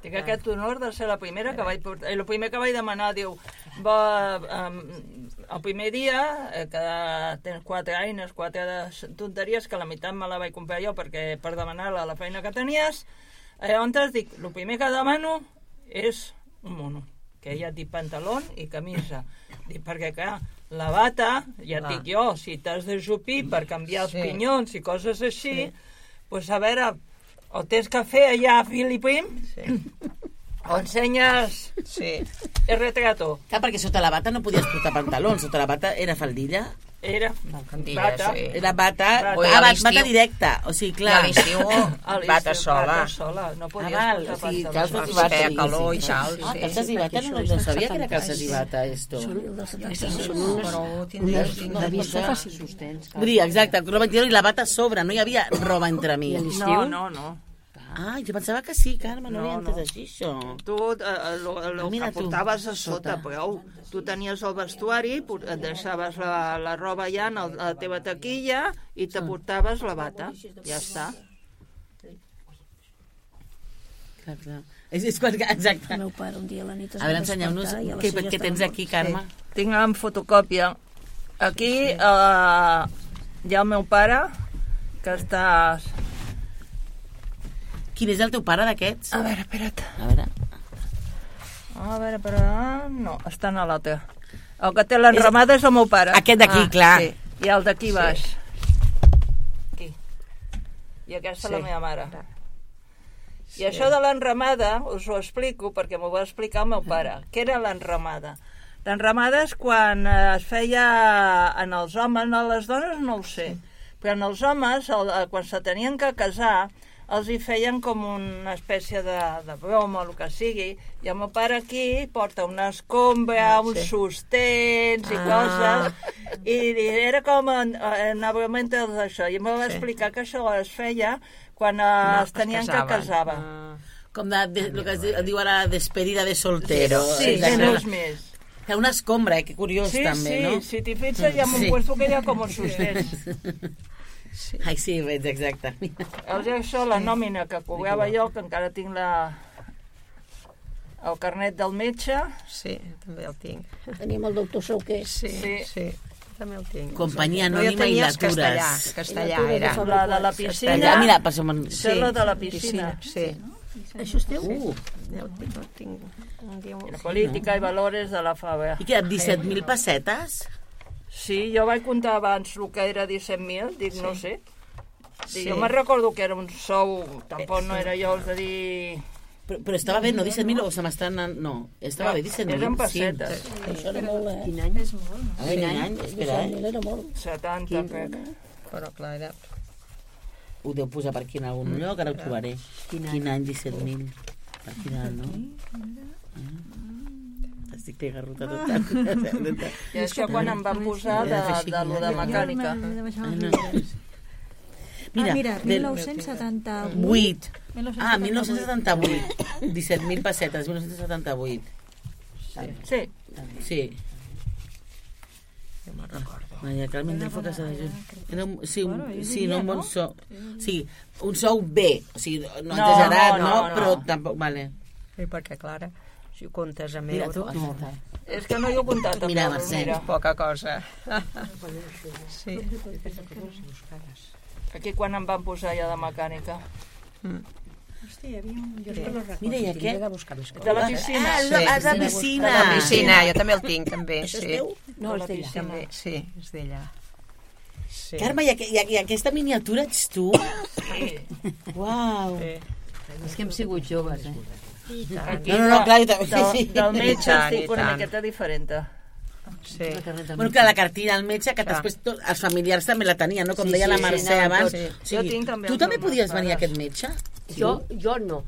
Tinc aquest honor de ser la primera que vaig portar. El primer que vaig demanar, diu, el primer dia, que tens 4 eines, 4 tonteries, que la meitat me la vaig comprar jo perquè per demanar-la la feina que tenies, llavors dic, el primer que demano és un mono, que ja et dic pantaló i camisa. Dic, perquè clar, la bata, ja et dic jo, si t'has de jupir per canviar els pinyons i coses així, doncs a veure, o tens que fer allà fil i prim, o ensenyes el retrato. Clar, perquè sota la bata no podies portar pantalons, sota la bata era faldilla. Era bata. Era bata directa, o sigui, clar. I a l'estiu, bata sola. No podies portar pantalons. Va fer calor i tal. Calces i bata no sabia que era calces i bata, esto. De vista fàcil sostens. Vull dir, exacte, roba interior i la bata a sobre, no hi havia roba entre mi. No. Ah, jo pensava que sí, Carme, no havia entès així, això. Tu el que portaves a sota, prou. Tu tenies el vestuari, et deixaves la roba allà a la teva taquilla i te portaves la bata. Ja està. Exacte. El meu pare un dia a la nit a veure, ensenyeu-nos què tens aquí, Carme. Tinc en fotocòpia. Aquí hi ha el meu pare, que estàs... Quin és el teu pare d'aquests? A veure, espera't. A veure. Però... No, estan a l'altre. El que té l'enramada és el meu pare. Aquest d'aquí, clar. Sí. I el d'aquí baix. Aquí. I aquesta la meva mare. I això de l'enramada us ho explico perquè m'ho va explicar el meu pare. Què era l'enramada? L'enramada és quan es feia en els homes, en les dones no ho sé, però en els homes, quan se tenien que casar, els hi feien com una espècie de broma o el que sigui, i el meu pare aquí porta una escombra, uns sostens i coses, i era com anava mentre això, i em va explicar que això es feia quan es tenien que casar. Com el que es diu ara despedida de soltero. Sí, no és més. Una escombra, que curiós també, no? Sí, si t'hi fixes hi ha un puesto que hi ha com uns sostens. Ai, sí, veig, exacte. Això, la nòmina que cobrava jo, que encara tinc el carnet del metge. Sí, també el tinc. Tenim el doctor Sauquer. Sí, també el tinc. Companyia Anònima i Latures. Castellà era. La de la piscina. Mira, passem... Sí, la de la piscina. Sí. Això és teu? El tinc. La política i valores de la Fabra. I què, 17.000 pessetes? Sí, jo vaig comptar abans el que era 17.000, dic, no sé. Jo me'n recordo que era un sou, tampoc no era jo de dir... Però estava bé, no 17.000 o se m'estan... No, estava bé 17.000. Eren pessetes. Això era molt, Quin any? És molt, no? A veure, quin any? Espera, 17.000 era molt. 70, crec. Però clar, era... Ho deu posar per aquí en algun lloc, ara ho trobaré. Quin any 17.000? Per quin any, no? Estic garruta tot. I això quan em van posar de lo de mecànica. Mira, 1978. 1978. 17.000 pessetes, 1978. Sí. Sí. Maria Carmen del Foc Casa de Juny. Sí, no un bon sou. Sí, un sou bé. O sigui, no exagerat, no, però tampoc... Vale. Sí, perquè, Clara, si ho comptes amb Mira, euros... És que no hi he comptat amb Mira, euros, Mercè. mira. Poca cosa. Sí. Aquí quan em van posar ja de mecànica. Hòstia, hi havia un... Mira, i aquest? De la piscina. Ah, de piscina. De la piscina, jo també el tinc, també. Això és Sí. teu? No, és d'ella. També, sí, és d'ella. Sí. Carme, i aquesta miniatura ets tu? Uau. És que hem sigut joves, eh? No, clar, jo també. Del metge tant, estic una i tant. miqueta diferent. Sí. Bueno, clar, la cartilla al metge, que després els familiars també la tenien, no? Com deia la Mercè abans. O sigui, Jo tinc també tu els també meus podies venir a pares. aquest metge? Jo no.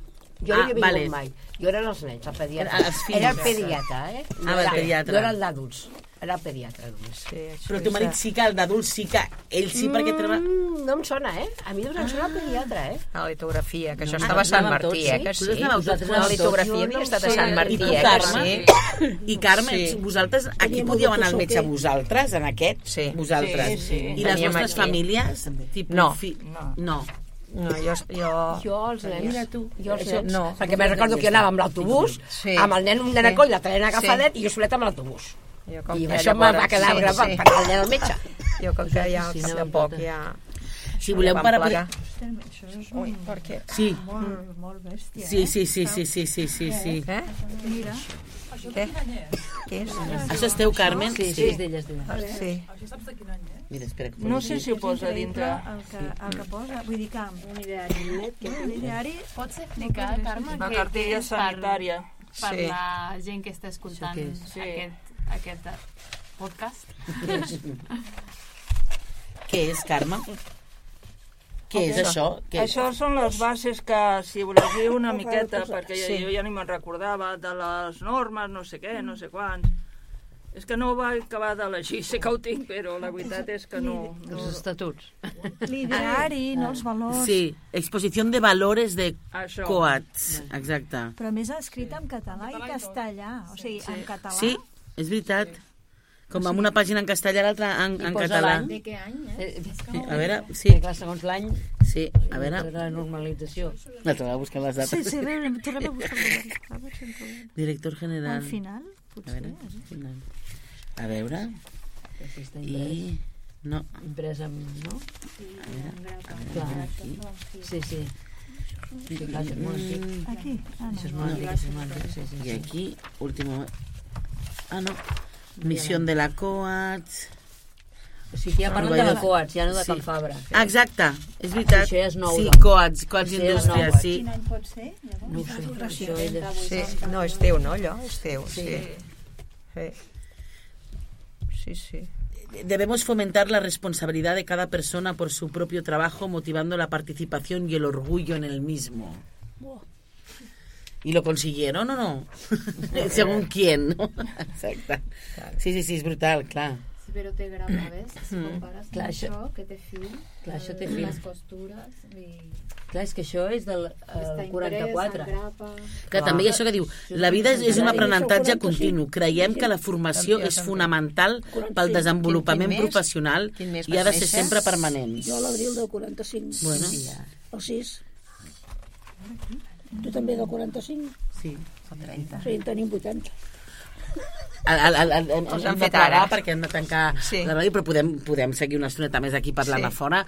Jo no hi he vingut vale. mai. Jo era els nens, el pediatre. Els fills. Era el pediatre, eh? Ah, el pediatre. No era el d'adults. Era el pediatre, només. Sí, Però el teu marit sí que, el d'adult sí que... Ell sí perquè treballa... No em sona, eh? A mi em sona el pediatre, eh? A la litografia, que això estava a Sant Martí, que sí? Vosaltres anàveu tots La litografia havia estat a Sant Martí, I tu, que Carme? sí? I Carme, Sí. vosaltres, aquí podíeu anar al metge vosaltres, en aquest? Sí. Vosaltres. Sí. I les Veníem vostres aquí. famílies? Tipus No. No. No, jo... Jo, els nens. Mira tu. Jo, els nens. No. Perquè me'n recordo que anava amb l'autobús, Sí. amb el nen, un nen a coll, la traient agafadet, Sí. i jo solet amb l'autobús. Jo, com I que això llavors- me'n va quedar gravat per al nen al metge. Jo, com que ja al cap de poc ja... Si voleu vam parar... plegar. Això és Ui, per què? Sí. molt bèstia, Sí. Què? Mira. Què? Què és? Això és teu, Carmen? Sí, és d'ella, és d'ella. Sí. Mira, espera. No sé si ho posa dintre. El que posa, vull dir que... Un ideari... Pots explicar, Carme, Una què cartilla és per sanitària. per Sí. la gent que està escoltant Sí. aquest podcast? Què és, Carme? Què és això? Què és? Això són les bases que, si ho llegiu una miqueta, perquè Sí. jo ja ni me'n recordava, de les normes, no sé què, no sé quants. És que no ho vaig acabar de llegir, sé que ho tinc, però la veritat és que no... Els estatuts. L'ideari, no els valors... Sí, exposició de valores de Això. Coats. Exacte. Però a més escrit en català i castellà. O sigui, en català... Sí, és veritat. Com amb una pàgina en castellà i l'altra en català. De què any, eh? Sí, a veure, sí. Clar, segons l'any, Sí, a veure. la normalització. L'altra va buscar les dates. Sí, a veure, tornem a buscar a veure si en trobem. Director general. Al final, A potser. veure, final. A veure. I... No. Impresa amb... no? Clar, aquí. Sí. Sí, clar, això és molt antic. Aquí? Això és molt antic, això és molt antic, sí. I aquí, último... Ah, no. Missió de la COAT... O sigui, ja parlen de la COAT, ja no de Can Fabra. Exacte, és veritat. Això ja és nou. Sí, COAT Indústria, sí. Quin any pot ser? No ho sé, això és... Sí, no, és teu, no, allò? És teu, sí. Sí. Debemos fomentar la responsabilidad de cada persona por su propio trabajo, motivando la participación y el orgullo en el mismo. ¿Y lo consiguieron o no? Según quién, ¿no? Exacte. Sí, és brutal, clar. Sí, però té grapa, ves? Si compares amb això, que té fil, clar, això té fil. Les costures... Clar, és que això és del 44. Que també hi ha això que diu, la vida és un aprenentatge continu. Creiem que la formació és fonamental pel desenvolupament professional i ha de ser sempre permanent. Jo a l'abril del 45. Bueno. El 6. Tu també del 45? Sí. O 30. Sí, en tenim 80. Ens hem de plegar perquè hem de tancar la ràdio, però podem seguir una estoneta més aquí parlant a fora.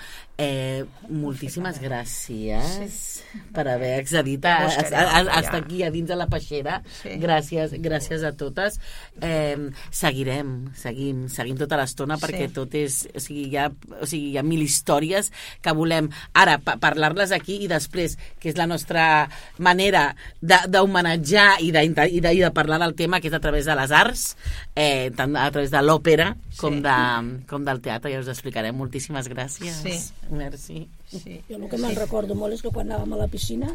Moltíssimes gràcies per haver accedit a estar aquí a dins de la peixera. Gràcies a totes. Seguim tota l'estona perquè tot és... O sigui, hi ha mil històries que volem ara parlar-les aquí i després, que és la nostra manera d'homenatjar i de parlar del tema, que és a través de les arts, tant a través de l'òpera com del teatre. Ja us explicarem. Moltíssimes gràcies. Merci. Jo el que me'n recordo molt és que quan anàvem a la piscina,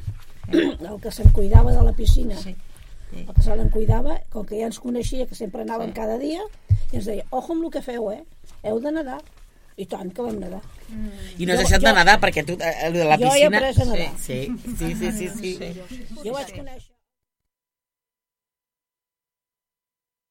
el que se'n cuidava de la piscina, el que se l'en cuidava, com que ja ens coneixia, que sempre anàvem cada dia, i ens deia, ojo amb el que feu, heu de nedar. I tant que vam nedar. I no has deixat de nedar, perquè tu, de la piscina... Jo he après a nedar. Sí. Jo vaig conèixer...